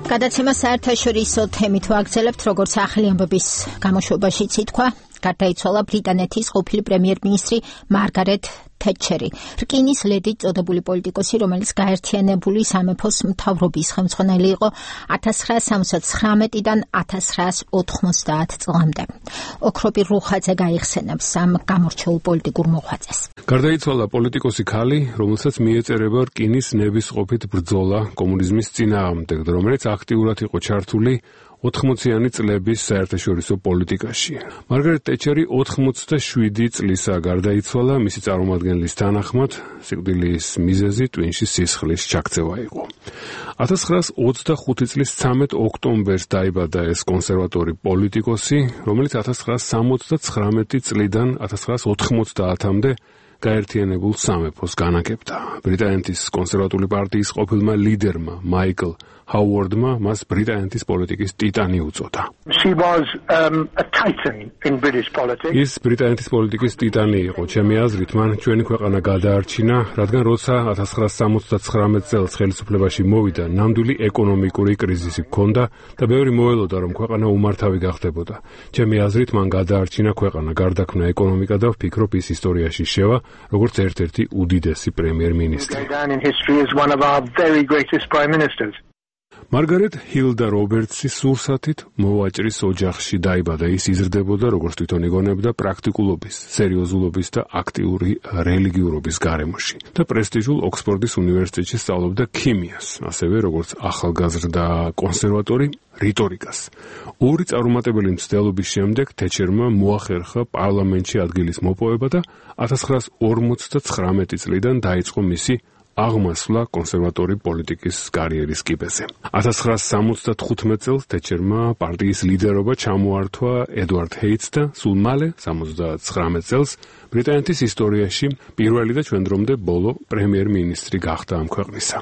გადაცემა საერთაშორისო თემით ვაგრძელებთ, როგორც ახალი ამბების გამოშვებაშიც ითქვა, გარდაიცვალა ბრიტანეთის ყოფილი პრემიერ-მინისტრი მარგარეტ თეტჩერი, რკინის ლედით წოდებული პოლიტიკოსი, რომელიც გაერთიანებული სამეფოს მთავრობის ხელმძღვანელი იყო ათას ცხრაას სამოცდა ცხრამეტიდან ათას ცხრაას ოთხმოცდაათ წლამდე. ოქროპი რუხაძე გაიხსენებს ამ გამორჩეულ პოლიტიკურ მოღვაწეს. გარდაიცვალა პოლიტიკოსი ქალი, რომელსაც მიეწერება რკინის ნებისყოფით ბრძოლა კომუნიზმის წინააღმდეგ, რომელიც აქტიურად იყო ჩართული ოთხმოციანი წლების საერთაშორისო პოლიტიკაში. მარგარეტ თეტჩერი ოთხმოცდაშვიდი წლისაა გარდაიცვალა, მისი წარმომადგენლის თანახმად, სიკვდილის მიზეზი ტვინში სისხლის ჩაქცევა იყო. ათას ცხრაას ოცდახუთი წლის ცამეტ ოქტომბერს დაიბადა ეს კონსერვატორი პოლიტიკოსი, რომელიც ათას ცხრაას სამოცდაცხრამეტი წლიდან ათას ცხრაას ოთხმოცდაათამდე გაერთიანებულ სამეფოს განაგებდა. ბრიტანეთის კონსერვატული პარტიის ყოფილმა ლიდერმა მაიკლ ჰაუარდმა მას ბრიტანეთის პოლიტიკის ტიტანი უწოდა. She was um, a titan in British politics. ის ბრიტანეთის პოლიტიკის ტიტანი იყო. ჩემი აზრით, მან ჩვენი ქვეყანა გადაარჩინა, რადგან როცა ათას ცხრაას სამოცდაცხრამეტ წელს ხელისუფლებაში მოვიდა, ნამდვილი ეკონომიკური კრიზისი ჰქონდა და ბევრი მოელოდა, რომ ქვეყანა უმართავი გახდებოდა. ჩემი აზრით, მან გადაარჩინა ქვეყანა, გარდაქმნა ეკონომიკა და ვფიქრობ, ის ისტორიაში შევა როგორც ერთ-ერთი უდიდესი პრემიერ-მინისტრი. მარგარეტ ჰილდა რობერტსის სურსათით მოვაჭრის ოჯახში დაიბადა. ის იზრდებოდა, როგორც თვითონ იგონებდა, პრაქტიკულობის, სერიოზულობის და აქტიური რელიგიურობის გარემოში და პრესტიჟულ ოქსფორდის უნივერსიტეტში სწავლობდა ქიმიას, ასევე როგორც ახალგაზრდა კონსერვატორი რიტორიკას. ორი წარუმატებელი მცდელობის შემდეგ თეჩერმა მოახერხა პარლამენტში ადგილის მოპოვება და ათას ცხრაას ორმოცდაცხრამეტი წლიდან დაიწყო მისი აღმასვლა კონსერვატორი პოლიტიკის კარიერის კიბეზე. ათას ცხრაას სამოცდათხუთმეტ წელს თეჩერმა პარტიის ლიდერობა ჩამოართვა ედვარდ ჰეიტს და სულ მალე სამოცდაცხრამეტ წელს ბრიტანეთის ისტორიაში პირველი და ჩვენ დრომდე ბოლო პრემიერ-მინისტრი გახდა ამ ქვეყნისა.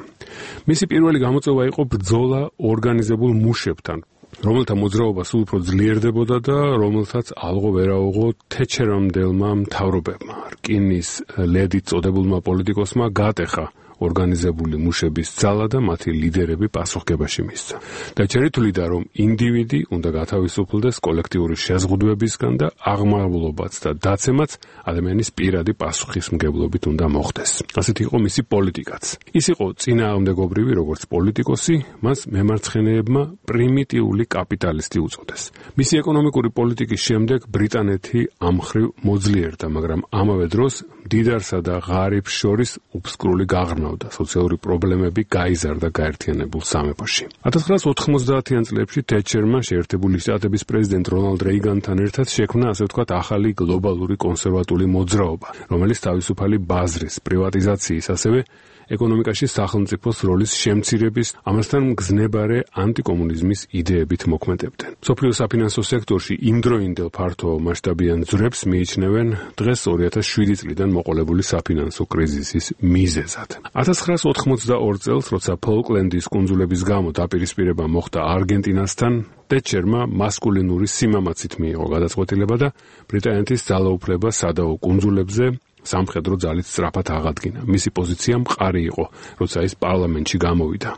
მისი პირველი გამოწვევა იყო ბრძოლა ორგანიზებულ მუშებთან, რომელთა მოძრაობა სულ უფრო ძლიერდებოდა და რომელთაც ალღო ვერაუღო თეჩერამდელმა მთავრობებმა. რკინის ლედით წოდებულმა პოლიტიკოსმა გატეხა ორგანიზებული მუშების ძალა და მათი ლიდერები პასუხგებაში მისცა. თეჩერი თვლიდა, რომ ინდივიდი უნდა გათავისუფლდეს კოლექტიური შეზღუდვებისგან და აღმავლობაც და დაცემაც ადამიანის პირადი პასუხისმგებლობით უნდა მოხდეს. ასეთი იყო მისი პოლიტიკაც. ის იყო წინააღმდეგობრივი, როგორც პოლიტიკოსი, მას მემარცხენეებმა პრიმიტიული კაპიტალისტი უწოდეს. მისი ეკონომიკური პოლიტიკის შემდეგ ბრიტანეთი ამხრივ მოძლიერდა, მაგრამ ამავე დროს მდიდარსა და ღარიბს შორის უბსკრული გაღრმავდა, სოციალური პრობლემები გაიზარდა გაერთიანებულ სამეფოში. ათას ცხრაას ოთხმოცდაათიან წლებში თეჩერმა შეერთებული შტატების პრეზიდენტ რონალდ რეიგანთან ერთად შექმნა, ასე ვთქვათ, ახალი გლობალური კონსერვატული მოძრაობა, რომელიც თავისუფალი ბაზრის, პრივატიზაციის, ასევე ეკონომიკაში სახელმწიფოს როლის შემცირების, ამასთან მგზნებარე ანტიკომუნიზმის იდეებით მოქმედებდნენ. მსოფლიო საფინანსო სექტორში იმდროინდელ ფართო მასშტაბიან ძვრებს მიიჩნევენ დღეს ორი ათას შვიდი წლიდან მოყოლებული საფინანსო კრიზისის მიზეზად. ათას ცხრაას ოთხმოცდაორ წელს, როცა ფოლკლენდის კუნძულების გამო დაპირისპირება მოხდა არგენტინასთან, თეჩერმა მასკულინური სიმამაცით მიიღო გადაწყვეტილება და ბრიტანეთის ძალაუფლება სადაო კუნძულებზე სამხედრო ძალით სწრაფად აღადგინა. მისი პოზიცია მყარი იყო, როცა ის პარლამენტში გამოვიდა.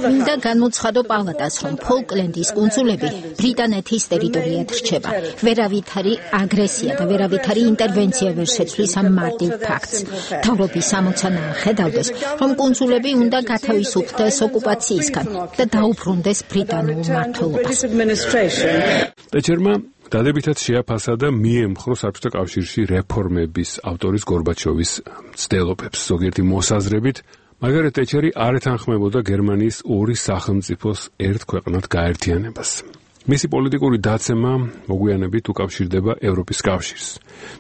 მინდა განუცხადო პალატას, რომ ფოლკლენდის კუნძულები ბრიტანეთის ტერიტორიად რჩება. ვერავითარი აგრესია და ვერავითარი ინტერვენცია ვერ შეცვლის ამ მარტივ ფაქტს. მთავრობის ამოცანა ხედავდეს, რომ კუნძულები უნდა გათავისუფლდეს ოკუპაციისგან და დაუბრუნდეს ბრიტანულ მმართველობას. თეჩერმა დადებითად შეაფასა და მიემხრო საბჭოთა კავშირში რეფორმების ავტორის გორბაჩოვის მცდელობებს. ზოგიერთი მოსაზრებით, მარგარეტ თეჩერი არ ეთანხმებოდა გერმანიის ორი სახელმწიფოს ერთ ქვეყნად გაერთიანებას. მისი პოლიტიკური დაცემა მოგვიანებით უკავშირდება ევროპის კავშირს.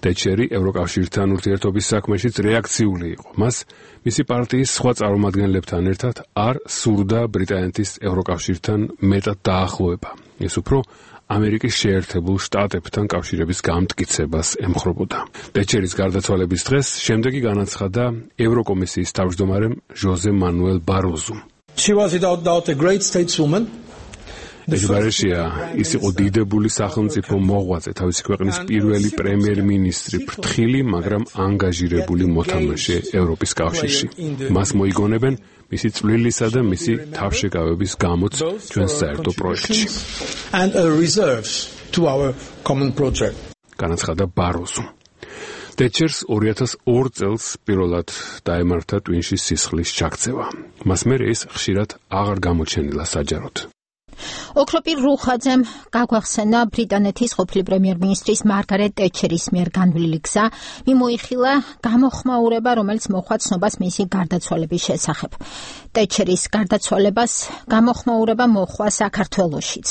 თეჩერი ევროკავშირთან ურთიერთობის საქმეშიც რეაქციული იყო. მას მისი პარტიის სხვა წარმომადგენლებთან ერთად არ სურდა ბრიტანეთის ევროკავშირთან მეტად დაახლოება. ის უფრო ამერიკის შეერთებულ შტატებთან კავშირების გამტკიცებას ემხრობოდა. თეჩერის გარდაცვალების დღეს შემდეგი განაცხადა ევროკომისიის თავმჯდომარემ ჟოზე მანუელ ბაროზუმ. She was without doubt a great stateswoman. ეს გარეშეა, ის იყო დიდებული სახელმწიფო მოღვაწე, თავისი ქვეყნის პირველი პრემიერ-მინისტრი, ფრთხილი, მაგრამ ანგაჟირებული მოთამაშე ევროპის კავშირში. მას მოიგონებენ მისი წვლილისა და მისი თავშეკავების გამოც ჩვენს საერთო პროექტში. And a reserves to our common project. განაცხადა ბაროზუმ. თეჩერს ორი ათას ორ წელს პირველად დაემართა ტვინშის სისხლის ჩაქცევა. მას მერე ის ხშირად აღარ გამოჩენილა საჯაროდ. ოქროპირ რუხაძემ გაგვახსენა ბრიტანეთის ყოფილი პრემიერ-მინისტრის მარგარეტ თეჩერის მიერ განვლილი გზა, მიმოიხილა გამოხმაურება, რომელიც მოხდა ცნობას მისი გარდაცვალების შესახებ. თეჩერის გარდაცვალებას გამოხმაურება მოხდა საქართველოშიც.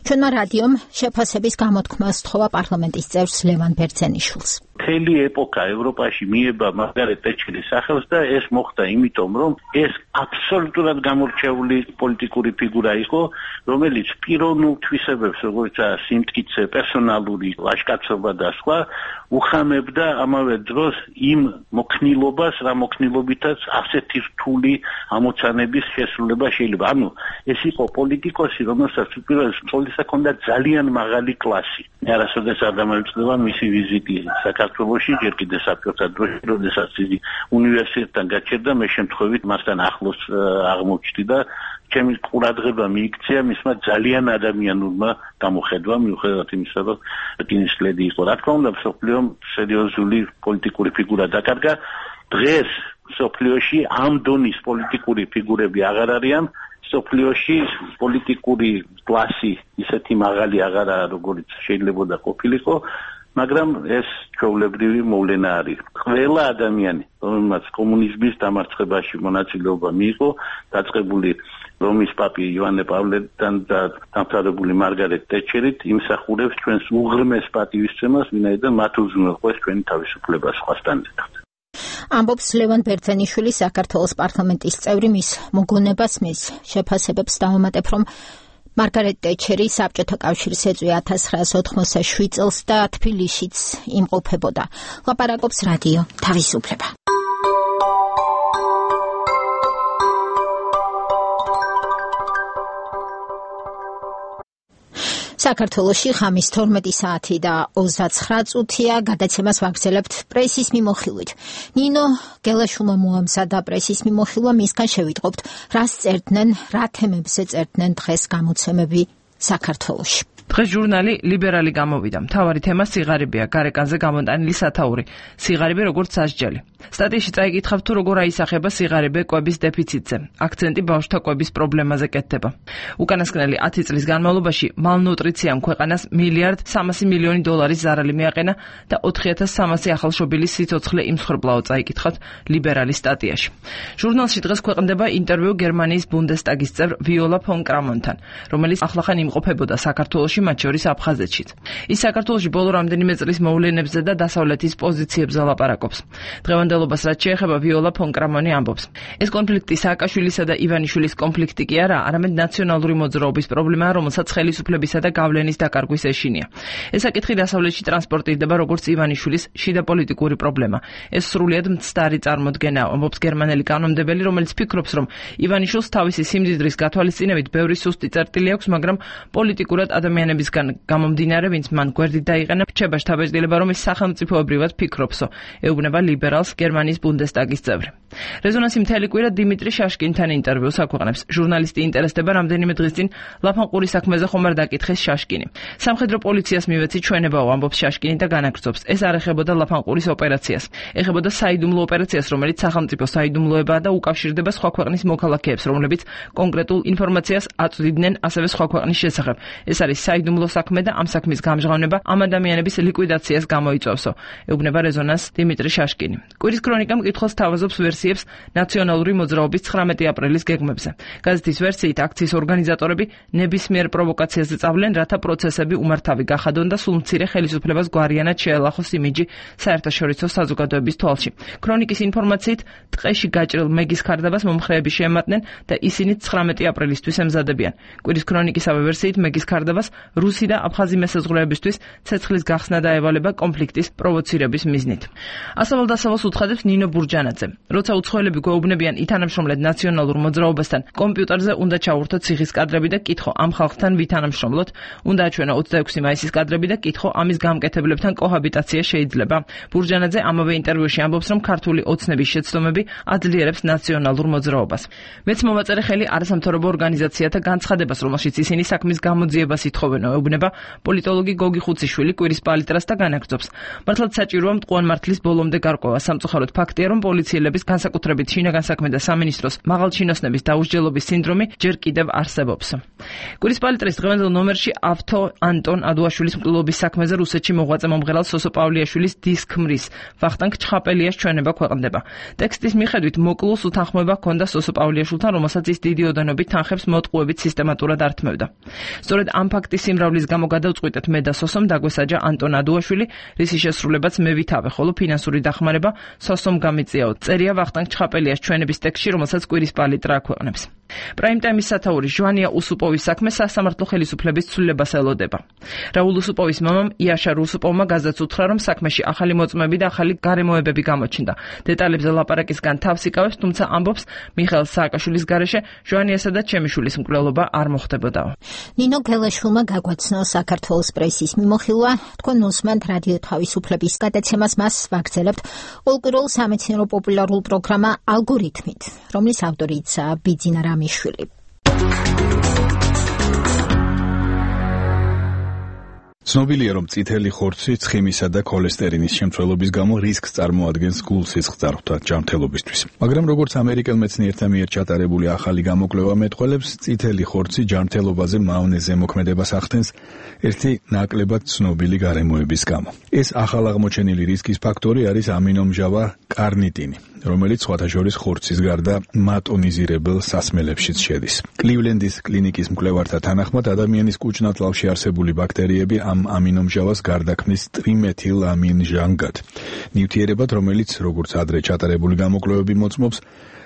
ჩვენმა რადიომ შეფასების გამოთქმა სთხოვა პარლამენტის წევრს ლევან ბერძენიშვილს. მთელი ეპოქა ევროპაში მიება მარგარეტ თეჩერის სახელს და ეს მოხდა იმიტომ, რომ ეს აბსოლუტურად გამორჩეული პოლიტიკური ფიგურა იყო, რომელიც პიროვნულ თვისებებს, როგორიცაა სიმტკიცე, პერსონალური ლაშქრობა და სხვა, უხამებდა ამავე დროს იმ მოქნილობას, რა მოქნილობითაც ასეთი რთული ამოცანების შესრულება შეიძლება. ანუ ეს იყო პოლიტიკოსი, რომელსაც უპირველეს ყოვლისა ჰქონდა ძალიან მაღალი კლასი. მე არასოდეს არ დამოუკიდებია მისი ვიზიტი საქართველოში, ჯერ კიდე საბჭოთა დროში, როდესაც იგი უნივერსიტეტთან გაჩერდა, მე შემთხვევით მასთან ახლოს აღმოჩნდი და ჩემი ყურადღება მიიქცია მისმა ძალიან ადამიანურმა გამოხედვამ, მიუხედავად იმისა, რომ რკინის ლედი იყო. რა თქმა უნდა, მსოფლიომ სერიოზული პოლიტიკური ფიგურა დაკარგა. დღეს მსოფლიოში ამ დონის პოლიტიკური ფიგურები აღარ არიან. სოფლიოში პოლიტიკური კლასი ისეთი მაღალი აღარაა, როგორც შეიძლებოდა ყოფილიყო, მაგრამ ეს ჩვეულებრივი მოვლენა არის. ყველა ადამიანი, რომელმაც კომუნიზმის დამარცხებაში მონაწილეობა მიიღო, დაწყებული რომის პაპი იოანე პავლესთან და დამთავრებული მარგარეტ ტეტჩერით, იმსახურებს ჩვენს უღრმეს პატივისცემას, ვინაიდან მათ უზრუნველყვეს ჩვენი თავისუფლება სხვასთან ერთად. ამბობს ლევან ბერძენიშვილი, საქართველოს პარლამენტის წევრი. მის მოგონებას, მის შეფასებებს დავამატებ, რომ მარგარეტ ტეტჩერი საბჭოთა კავშირს ეწვია ათას ცხრაას ოთხმოცდაშვიდ წელს და თბილისშიც იმყოფებოდა. ლაპარაკობს რადიო თავისუფლება. საქართველოში ხამის თორმეტი საათი და ოცდაცხრა წუთია. გადაცემას ვაგრძელებთ პრესის მიმოხილვით. ნინო გელაშვილმა მოამზადა პრესის მიმოხილვა, მისგან შევიტყობთ, რას წერდნენ, რა თემებზე წერდნენ დღეს გამოცემები საქართველოში. დღეს ჟურნალი ლიბერალი გამოვიდა. მთავარი თემა სიღარიბეა, გარეკანზე გამოტანილი სათაური. სიღარიბე როგორც სასჯელი. სტატიაში წაიკითხავთ, თუ როგორ აისახება სიღარიბე კვების დეფიციტზე. აქცენტი ბავშვთა კვების პრობლემაზე კეთდება. უკანასკნელი ათი წლის განმავლობაში მალნუტრიციამ ქვეყანას მილიარდ სამასი მილიონი დოლარის ზარალი მიაყენა და ოთხი ათას სამასი ახალშობილის სიცოცხლე იმსხვრბლაო, წაიკითხავთ ლიბერალის სტატიაში. ჟურნალში დღეს ქვეყნდება ინტერვიუ გერმანიის ბუნდესტაგის წევრ ვიოლა ფონ კრამონთან, რომელიც ახლახან იმყოფებოდა საქართველოში, მათ შორის აფხაზეთშიც. ის საქართველოში ბოლო რამდენიმე წლის მოვლენებზე და დასავლეთის პოზიციებზე ლაპარაკობს. დღევანდელობას რაც შეეხება, ვიოლა ფონ კრამონი ამბობს, ეს კონფლიქტი სააკაშვილისა და ივანიშვილის კონფლიქტი კი არა, არამედ ნაციონალური მოძრაობის პრობლემაა, რომელსაც ხელისუფლებისა და გავლენის დაკარგვის ეშინია. ეს საკითხი დასავლეთში ტრანსპორტირდება როგორც ივანიშვილის შიდა პოლიტიკური პრობლემა. ეს სრულიად მცდარი წარმოდგენაა, ამბობს გერმანელი კანონმდებელი, რომელიც ფიქრობს, რომ ივანიშვილს თავისი სიმდიდრის გათვალისწინებით ბევრი სუსტი წერტილი აქვს, მაგრამ პოლიტიკურად ადამიანებისგან გამომდინარე, ვინც მან გვერდით დაიყენა, რჩება შთაბეჭდილება, რომ ის სახელმწიფოებრივად ფიქრობსო, ეუბნება ლიბერალს გერმანიის ბუნდესტაგის წევრი. რეზონანსი მთელი კვირა დიმიტრი შაშკინთან ინტერვიუს აქვეყნებს. ჟურნალისტი ინტერესდება რამდენიმე დღის წინ ლაფანყურის საქმეზე ხომ არ დაკითხეს შაშკინი. სამხედრო პოლიციას მივეცი ჩვენებაო, ამბობს შაშკინი და განაგრძობს, ეს არ ეხებოდა ლაფანყურის ოპერაციას, ეხებოდა საიდუმლო ოპერაციას, რომელიც სახელმწიფო საიდუმლოებაა და უკავშირდება სხვა ქვეყნის მოქალაქეებს, რომლებიც კონკრეტულ ინფორმაციას აწვდიდნენ ასევე სხვა ქვეყნის შესახებ. ეს არის საიდუმლო საქმე და ამ საქმის გამჟღავნება ამ ადამიანების ლიკვიდაციას გამოიწვევსო, ეუბნება რეზონანს დიმიტრი შაშკინი. კვირის ქრონიკა მკითხველს თავაზობს ვერსიებს ნაციონალური მოძრაობის ცხრამეტი აპრილის გეგმებზე. გაზეთის ვერსიით აქციის ორგანიზატორები ნებისმიერ პროვოკაციაზე წავლენ, რათა პროცესები უმართავი გახადონ და სულ მცირე ხელისუფლებას გვარიანად შეელახოს იმიჯი საერთაშორისო საზოგადოების თვალში. ქრონიკის ინფორმაციით ტყეში გაჭრილ მეგის ქარდაბას მომხრეები შეემატნენ და ისინი ცხრამეტი აპრილისთვის ემზადებიან. კვირის ქრონიკისავე ვერსიით მეგის ქარდაბას რუსი და აფხაზი მესაზღვრეებისთვის ცეცხლის გახსნა დაევალება კონფლიქტის პროვოცირების მიზნით. ასავალ-დასავალს უცხადებს ნინო ბურჯანაძე. როცა უცხოელები გვეუბნებიან ითანამშრომლეთ ნაციონალურ მოძრაობასთან, კომპიუტერზე უნდა ჩავურთოთ ციხის კადრები და კითხო ამ ხალხთან ვითანამშრომლოთ, უნდა აჩვენო ოცდაექვსი მაისის კადრები და კითხო ამის გამკეთებლებთან კოჰაბიტაცია შეიძლება. ბურჯანაძე ამავე ინტერვიუში ამბობს, რომ ქართული ოცნების შეცდომები აძლიერებს ნაციონალურ მოძრაობას. მეც მოვაწერე ხელი არასამთავრობო ორგანიზაციათა განცხადებას, რომელშიც ისინი საქმის გამოძიებას ითხოვენ, ეუბნება პოლიტოლოგი გოგი ხუციშვილი კვირის პალიტრას და განაგრძობს. მართლაც საჭიროა მტყუან მართლის ბოლომდე გარკვევა. სამწუხაროდ ფაქტია, რომ პოლიციელების განსაკუთრებით შინაგან საქმე და სამინისტროს მაღალჩინოსნების დაუსჯელობის სინდრომი ჯერ კიდევ არსებობს. კვირის პალიტრის დღევანდელ ნომერში ავთო ანტონ ადუაშვილის მკვლელობის საქმეზე რუსეთში მოღვაწე მომღერალ სოსო პავლიაშვილის დისკმრის ვახტანგ ჩხაპელიას ჩვენება ქვეყნდება. ტექსტის მიხედვით მოკლულს უთანხმოება ჰქონდა სოსო პავლიაშვილთან, რომელსაც ის დიდი ოდენობით თანხებს მოტყუებით სისტემატურად ართმევდა. სწორედ ამ ფაქტის სიმრავლის გამო გადავწყვიტეთ მე და სოსომ დაგვესაჯა ანტონ ადუაშვილი, რისი შესრულებაც მე ვითავე, ხოლო ფინანსური დახმარება სოსომ გამიწიაო. წერია ვახტანგ ჩხაპელიას ჩვენების ტექსტში, რომელსაც კვირის პალიტრა აქვეყნებს. პრაიმ-ტაიმის სათაური ჟვანია უსუპოვის საქმე სასამართლო ხელისუფლების ცვლილებას ელოდება. რაულ უსუპოვის მამამ იაშარ უსუპოვმა გაზეთს უთხრა, რომ საქმეში ახალი მოწმეები და ახალი გარემოებები გამოჩნდა. დეტალებზე ლაპარაკისგან თავს იკავებს, თუმცა ამბობს, მიხეილ სააკაშვილის გარეშე ჟვანიასა და ჩემიშვილის მკვლელობა არ მოხდებოდაო. ნინო გელაშვილმა გაგვაცნო საქართველოს პრესის მიმოხილვა. თქვენ უსმენთ რადიო თავისუფლების გადაცემას, მას ვაგრძელებთ ყოველკვირეულ სამეცნიერო პოპულარულ პროგრამა ალგორითმით, რომლის ავტორიცაა ბიძინა რამიშვილი. ცნობილია, რომ წითელი ხორცი ცხიმისა და ქოლესტერინის შემცველობის გამო რისკს წარმოადგენს გულ-სისხლძარღვთა ჯანმრთელობისთვის. მაგრამ როგორც ამერიკელ მეცნიერთა მიერ ჩატარებული ახალი გამოკვლევა მეტყველებს, წითელი ხორცი ჯანმრთელობაზე მავნე ზემოქმედებას ახდენს ერთი ნაკლებად ცნობილი გარემოების გამო. ეს ახალ აღმოჩენილი რისკის ფაქტორი არის ამინომჟავა კარნიტინი, რომელიც სხვათა შორის ხორცის გარდა მატონიზირებელ სასმელებშიც შედის. კლივლენდის კლინიკის მკვლევართა თანახმად, ადამიანის კუჭნათლავში არსებული ბაქტერიები ამ ამინომჟავას გარდაქმნის ტრიმეთილ ამინჟანგად. ნივთიერებად, რომელიც, როგორც ადრე ჩატარებული გამოკვლევები მოწმობს,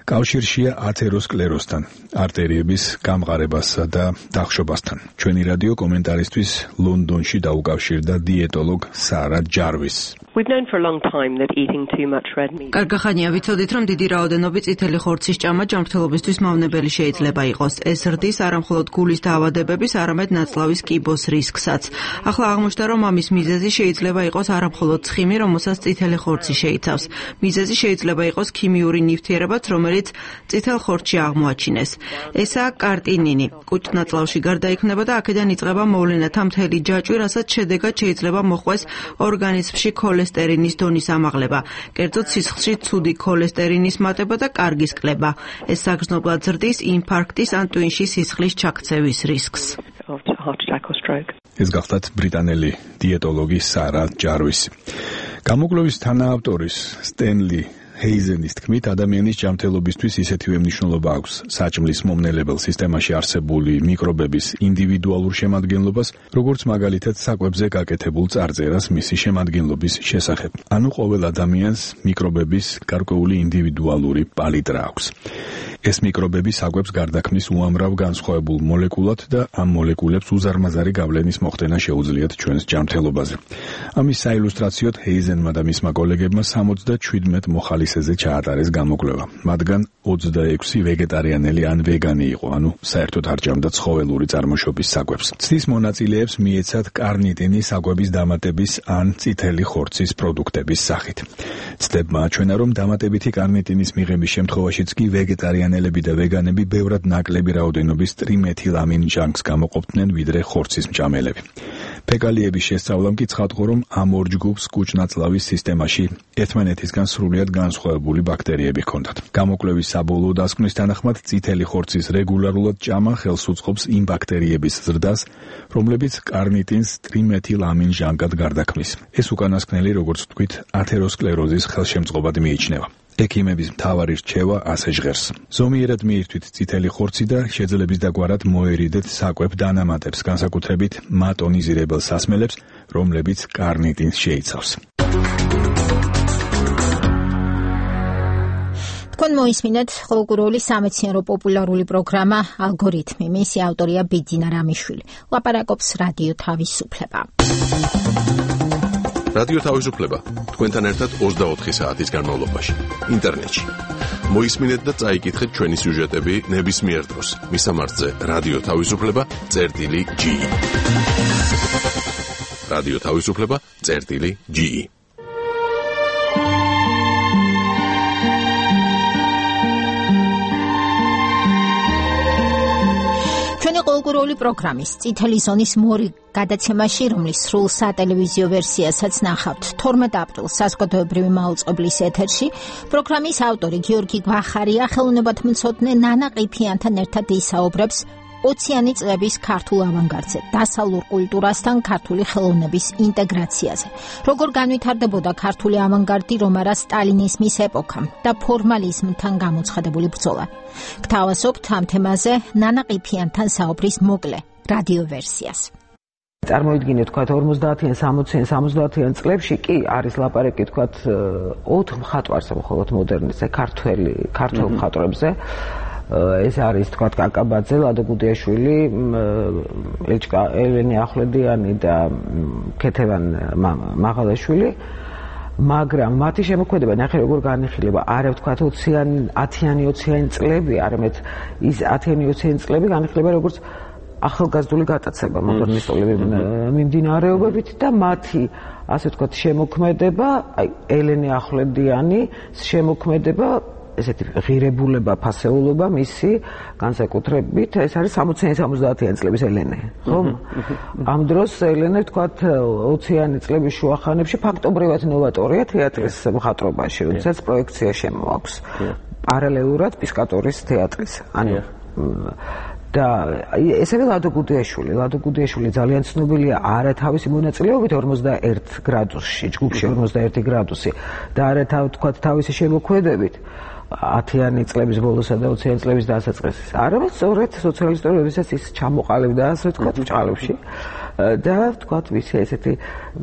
კავშირშია ათეროსკლეროსთან, არტერიების გამყარებასა და დახშობასთან. ჩვენი რადიო კომენტარისთვის ლონდონში დაუკავშირდა დიეტოლოგ სარა ჯარვის. We've known for a long time that eating too much red meat. კარგი ხანია ვიცოდით, რომ დიდი რაოდენობით წითელი ხორცის ჭამა ჯანმრთელობისთვის მავნებელი შეიძლება იყოს. ეს ზრდის არამხოლოდ გულის დაავადებების, არამედ ნაწლავის კიბოს რისკსაც. ახლა აღმოჩნდა, რომ ამის მიზეზი შეიძლება იყოს არამხოლოდ ცხიმი, რომელსაც წითელი ხორცი შეიცავს. მიზეზი შეიძლება იყოს ქიმიური ნივთიერებაც, რომელიც წითელ ხორცში აღმოაჩინეს. ესაა კარტინინი. კუჭნათლავში გარდაიქმნება და აქედან იწყება მოვლენათა მთელი ჯაჭვი, რასაც შედეგად შეიძლება მოხვდეს ორგანიზმში ქოლესტერინის დონის ამაღლება, კერძოდ სისხლში ცუდი ქოლესტერინის მატება და კარგის კლება. ეს საგრძნობლად ზრდის ინფარქტის ან ტვინში სისხლის ჩაქცევის რისკს. ეს გახლავთ ბრიტანელი დიეტოლოგი სარა ჯარვისი. გამოკვლევის თანაავტორის სტენლი ჰეიზენის თქმით, ადამიანის ჯანმრთელობისთვის ისეთივე მნიშვნელობა აქვს საჭმლის მომნელებელ სისტემაში არსებული მიკრობების ინდივიდუალურ შემადგენლობას, როგორც მაგალითად საკვებზე გაკეთებულ წარწერას მისი შემადგენლობის შესახებ. ანუ ყოველ ადამიანს მიკრობების გარკვეული ინდივიდუალური პალიტრა აქვს. ეს მიკრობები საკვებს გარდაქმნის უამრავ განსხვავებულ მოლეკულად და ამ მოლეკულებს უზარმაზარი გავლენის მოხდენა შეუძლიათ ჩვენს ჯანმრთელობაზე. ამის საილუსტრაციოდ ჰეიზენმა და მისმა კოლეგებმა სამოცდაშვიდმეტ მოხალისეზე ჩაატარეს გამოკვლევა. მათგან ოცდაექვსი ვეგეტარიანელი ან ვეგანი იყო, ანუ საერთოდ არ ჭამდა ცხოველური წარმოშობის საკვებს. ცდის მონაწილეებს მიეცათ კარნიტინი საკვების დამატების ან წითელი ხორცის პროდუქტების სახით. ცდებმა აჩვენა, რომ დამატებითი კარნიტინის მიღების შემთხვევაშიც კი ვეგეტარიანელები და ვეგანები ბევრად ნაკლები რაოდენობის ტრიმეთილ ამინჟანგს გამოყოფდნენ, ვიდრე ხორცის მჭამელები. ფეკალიების შესწავლამ კი ცხადყო, რომ ამ ორ ჯგუფს კუჭნათლავის სისტემაში ერთმანეთისგან სრულიად განსხვავებული ბაქტერიები ჰქონდათ. გამოკვლევის საბოლოო დასკვნის თანახმად, წითელი ხორცის რეგულარულად ჭამა ხელს უწყობს იმ ბაქტერიების ზრდას, რომლებიც კარნიტინს ტრიმეთილ ამინჟანგად გარდაქმნის. ეს უკანასკნელი, როგორც ვთქვით, ათეროსკლეროზის ხელშემწყობად მიიჩნევა. ექიმების მთავარი რჩევა ასე ჟღერს. ზომიერად მიირთვით წითელი ხორცი და შეძლების დაგვარად მოერიდეთ საკვებ დანამატებს, განსაკუთრებით მატონიზირებელ სასმელებს, რომლებიც კარნიტინს შეიცავს. თქვენ მოისმინეთ ხალხური სამეცნიერო პოპულარული პროგრამა ალგორითმი. მისი ავტორია ბიძინა რამიშვილი. ლაპარაკობს რადიო თავისუფლება. რადიო თავისუფლება თქვენთან ერთად ოცდაოთხი საათის განმავლობაში ინტერნეტში. მოისმინეთ და წაიკითხეთ ჩვენი სიუჟეტები ნებისმიერ დროს. მისამართზე რადიო თავისუფლება წერტილი ჯი ი. რადიო თავისუფლება წერტილი ჯი ი. ყოველკვირეული პროგრამის წითელი ზონის მორი გადაცემაში, რომლის სრულ სატელევიზიო ვერსიასაც ნახავთ თორმეტ აპრილს საზოგადოებრივი მაუწყებლის ეთერში, პროგრამის ავტორი გიორგი გვახარია ხელოვნებათმცოდნე ნანა ყიფიანთან ერთად ისაუბრებს ოციანი წლების ქართულ ავანგარდზე, დასავლურ კულტურასთან ქართული ხელოვნების ინტეგრაციაზე. როგორ განვითარდებოდა ქართული ავანგარდი რომ არა სტალინიზმის ეპოქამ და ფორმალიზმთან გამოცხადებული ბრძოლა. გთავაზობთ ამ თემაზე ნანა ყიფიანთან საუბრის მოკლე რადიო ვერსიას. წარმოიდგინეთ, თქვათ ორმოცდაათიან, სამოციან, სამოცდაათიან წლებში კი არის ლაპარაკი, თქვათ ოთხ მხატვარზე, მხოლოდ მოდერნისტზე, ქართველი, ქართულ მხატვრებზე. ეს არის თქვათ კაკაბაძე, ლადო გუდიაშვილი, ელჩკა ელენე ახვლედიანი და ქეთევან მაღალაშვილი, მაგრამ მათი შემოქმედება ნახე როგორ განიხილება, არა ვთქვათ ოციანი, ათიანი, ოციანი წლები, არამედ ის ათიანი, ოციანი წლები განიხილება როგორც ახალგაზრდული გატაცება მოდერნისტული მიმდინარეობებით და მათი ასე ვთქვათ შემოქმედება, აი ელენე ახვლედიანი შემოქმედება ესეთი ღირებულება, ფასეულობა მისი განსაკუთრებით ეს არის სამოციანი სამოცდაათიანი წლების ელენე, ხო? ამ დროს ელენე თქვათ ოციანი წლების შუახანებში ფაქტობრივად ნოვატორია თეატრის მხატვრობაში, როდესაც პროექცია შემოაქვს. პარალელურად პისკატორის თეატრის. ანუ და ესევე ლადო გუდიაშვილი, ლადო გუდიაშვილი ძალიან ცნობილია არა თავისი მონაწილეობით ორმოცდაერთ გრადუსში, ჯგუფში ორმოცდაერთი გრადუსი და არა თქვათ თავისი შემოქმედებით ათიანი წლების ბოლოსა და ოციანი წლების დასაწყისის. არამედ სწორედ სოციალისტური როდესაც ის ჩამოყალიბდა ასე ვთქვათ ბჭყალებში და ვთქვათ ვიცი ესეთი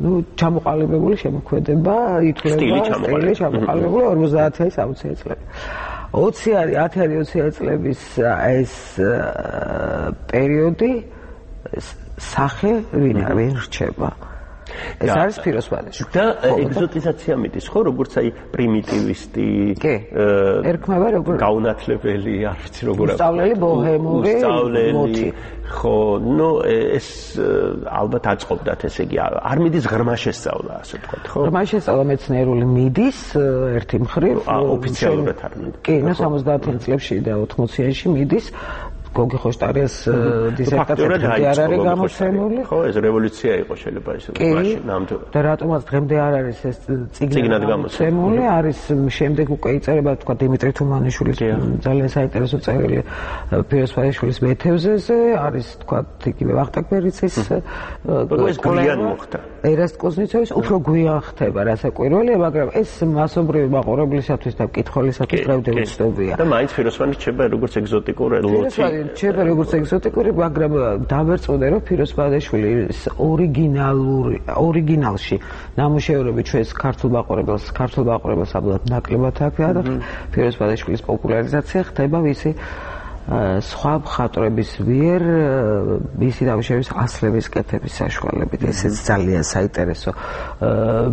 ნუ ჩამოყალიბებული შემოქმედება ითვლება სტილი ჩამოყალიბებული ორმოცდაათიანი სამოციანი წლები. ოციანი, ათიანი ოციანი წლების ეს პერიოდი სახე ვინ ვერ რჩება. ეს არის ფიროსვადეში. და ეგზოტიზაცია მიდის, ხო, როგორც აი პრიმიტივისტი, ერქმევა როგორ გაუნათლებელი, არ ვიცი როგორ აქვს. უსწავლელი ბოჰემური მოტი. ხო, ნუ ეს ალბათ აწყობდათ, ესე იგი, არ მიდის ღრმა შესწავლა, ასე ვთქვათ, ხო? ღრმა შესწავლა მეცნიერული მიდის ერთი მხრივ, ოფიციალურად არ მიდის. კი, ნუ სამოცდაათიან წლებში და ოთხმოციანში მიდის. გოგი ხოშტარიას დისერტაცია არ არის გამოცემული. ხო, ეს რევოლუცია იყო შეიძლება ისე მაშინ ნამდვილად. და რატომაც დღემდე არ არის ეს წიგნად გამოცემული, არის შემდეგ უკვე იწერება თქვა დიმიტრი თუმანიშვილის ძალიან საინტერესო წერილი ფიროსვადაშვილის მეთევზეზე, არის თქვა იგივე ვახტანგ ბერიცის ეს გვიან მოხდა. ერასტ კუზნიცოვის უფრო გვიან ხდება რასაკვირველია, მაგრამ ეს მასობრივი მაყურებლისათვის და მკითხველისათვის დღემდე უცნობია. და მაინც ფიროსვანი რჩება როგორც ეგზოტიკური ლოცი. რჩება როგორც ეგზოტიკური, მაგრამ დავერწმუნე რომ ფიროსვადაშვილი ორიგინალური ორიგინალში ნამუშევრები ჩვენს ქართულ მაყურებელს, ქართულ მაყურებელს აბლად ნაკლებად აქვს და ფიროსვადაშვილის პოპულარიზაცია ხდება ვისი სხვა მხატვრების მიერ მისი ნამუშევრების ასლების კეთების საშუალებით. ესეც ძალიან საინტერესო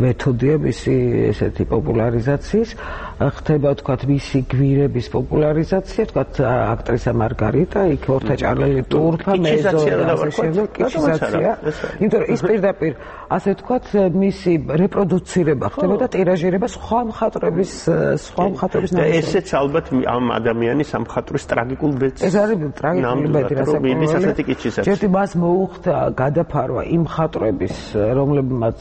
მეთოდია მისი ესეთი პოპულარიზაციის. ხდება თქვათ მისი გვირების პოპულარიზაცია, თქვათ აქტრისა მარგარიტა, იქ ორთაჭარელი ტურფა, მეზო და ასე შემდეგ, კიჩიზაცია. იმიტომ რომ ის პირდაპირ ასე თქვათ მისი რეპროდუცირება ხდება და ტირაჟირება სხვა მხატვრების სხვა მხატვრების ნამუშევრებს. ესეც ალბათ ამ ადამიანის სამხატვრის ტრაგიკულ ეს არის ტრაგიკული ბედი რასაკვირველია. ჯერტი მას მოუხდა გადაფარვა იმ მხატვრების, რომლებმაც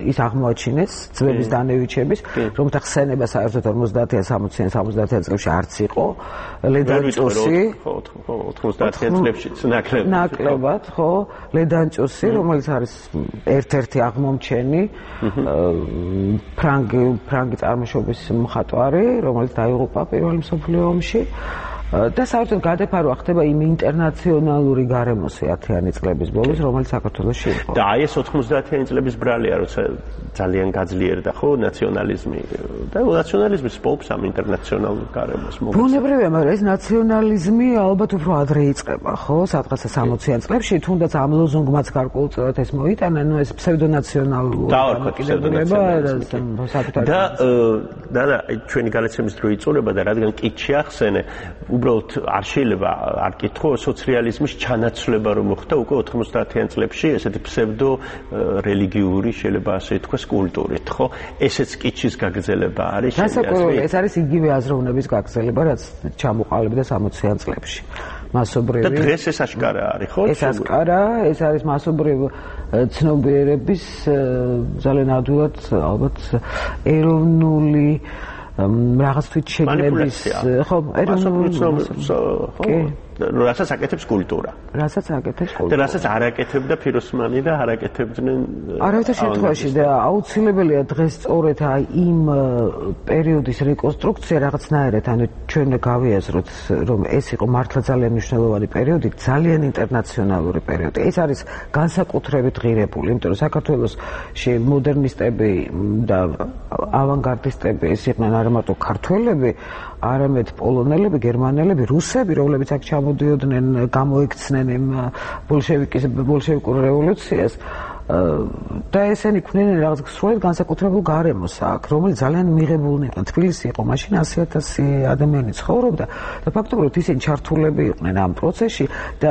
ის აღმოაჩინეს ძვების დანევიჩების, რომელთა ხსენება საერთოდ ორმოცდაათიან სამოციან სამოცდაათიან წლებში არც იყო. ლედანჭოსი, ხო, ოცდაათიან წლებშიც ნაკლებად. ნაკლებად, ხო, ლედანჭოსი, რომელიც არის ერთ-ერთი აღმომჩენი ფრანგი ფრანგი წარმოშობის მხატვარი, რომელიც დაიღუპა პირველ მსოფლიო ომში. და საერთოდ გადაფარვა ხდება იმ ინტერნაციონალური გარემოსი ათიანი წლების ბოლოს, რომელიც საქართველოში იყო. და აი ეს ოთხმოცდაათიანი წლების ბრალია, როცა ძალიან გაძლიერდა ხო ნაციონალიზმი და ნაციონალიზმი სპობს ამ ინტერნაციონალურ გარემოს. ბუნებრივია, მაგრამ ეს ნაციონალიზმი ალბათ უფრო ადრე იწყება, ხო, სადღაცა სამოციან წლებში, თუნდაც ამ ლოზუნგმაც გარკვეულწილად ეს მოიტანა, ნუ ეს ფსევდონაციონალური დამოკიდებულება და და და ჩვენი განაცემის დრო იწურება და რადგან კითხი ახსენე უბრალოდ არ შეიძლება არ კითხო სოციალიზმის ჩანაცვლება რომ მოხდა უკვე ოთხმოცდაათიან წლებში ესეთი ფსევდო რელიგიური შეიძლება ასე ითქვას კულტურით ხო ესეც კითხის გაგრძელება არის შესაძლოა ეს არის იგივე აზროვნების გაგრძელება რაც ჩამოყალიბდა სამოციან წლებში მასობრივი და დღეს ეს აშკარა არის ხო ეს აშკარა ეს არის მასობრივი ცნობიერების ძალიან ადვილად ალბათ ეროვნული რაღაც თვით შეგნების ხო ეროვნული ხო რასაც აკეთებს კულტურა. რასაც აკეთებს კულტურა. და რასაც არ აკეთებდა ფიროსმანი და არ აკეთებდნენ არავითარ შემთხვევაში და აუცილებელია დღეს სწორედ აი იმ პერიოდის რეკონსტრუქცია რაღაცნაირად ანუ ჩვენ გავიაზროთ რომ ეს იყო მართლა ძალიან მნიშვნელოვანი პერიოდი, ძალიან ინტერნაციონალური პერიოდი. ეს არის განსაკუთრებით ღირებული, იმიტომ რომ საქართველოში მოდერნისტები და ავანგარდისტები ეს იყვნენ არა მარტო ქართველები, არამედ პოლონელები, გერმანელები, რუსები, რომლებიც აქ ჩამოდიოდნენ, გამოიქცნენ იმ ბოლშევიკის ბოლშევიკურ რევოლუციას. და ესენი ქმნიან რაღაც სრულად განსაკუთრებულ გარემოს აქ, რომელიც ძალიან მიღებულნი იყვნენ. თბილისი იყო მაშინ ასი ათასი ადამიანი ცხოვრობდა და ფაქტობრივად ისინი ჩართულები იყვნენ ამ პროცესში და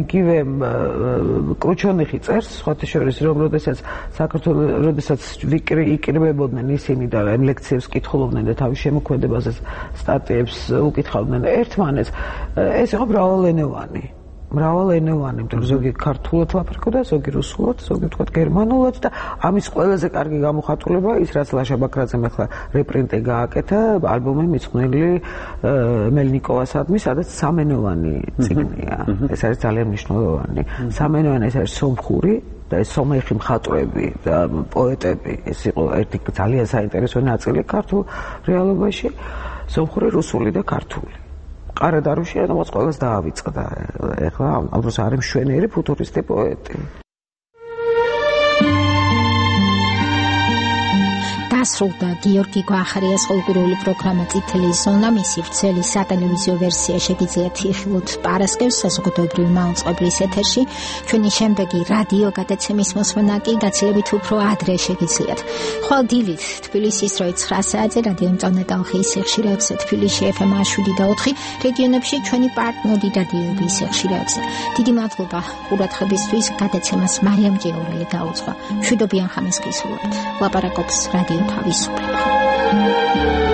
იგივე კრუჩონიხი წერს სხვათა შორის რომ როდესაც საქართველოს როდესაც იკრიბებოდნენ ისინი და ამ ლექციებს კითხულობდნენ და თავის შემოქმედებაზე სტატიებს უკითხავდნენ ერთმანეთს ეს იყო მრავალენოვანი მრავალენოვანი, იმიტომ რომ ზოგი ქართულად ლაპარაკობდა, ზოგი რუსულად, ზოგი თქვა გერმანულად და ამის ყველაზე კარგი გამოხატულება ის რაც ლაშა ბაქრაძემ ახლა რეპრინტი გააკეთა ალბომი მიძღვნილი მელნიკოვასადმი, სადაც სამენოვანი წიგნია. ეს არის ძალიან მნიშვნელოვანი. სამენოვანი ეს არის სომხური და ეს სომეხი მხატვრები და პოეტები, ეს იყო ერთი ძალიან საინტერესო ნაწილი ქართულ რეალობაში, სომხური, რუსული და ქართული. ყარადარუში რამაც ყველას დაავიწყდა. ეხლა ამ დროს არის მშვენიერი ფუტურისტი პოეტი. დასრულდა გიორგი გვახარიას კულტურული პროგრამა წითელი ზონა, მისი ვრცელი სატელევიზიო ვერსია შეგიძლიათ იხილოთ პარასკევს საზოგადოებრივი მაუწყებლის ეთერში. ჩვენი შემდეგი რადიო გადაცემის მოსმენა კი გაცილებით უფრო ადრე შეგიძლიათ. ხვალ დილით თბილისის დროით ცხრა საათზე რადიო მწვანე ტალღის სიხშირეებზე, თბილისში ეფ ემ შვიდი და ოთხი, რეგიონებში ჩვენი პარტნიორი რადიოების სიხშირეებზე. დიდი მადლობა ყურადღებისთვის. გადაცემას მარიამ ჯეორელი გაუძღვა. მშვიდობიან ხამეს გისურვებთ. ლაპარაკობს რადიო თავისუფლება.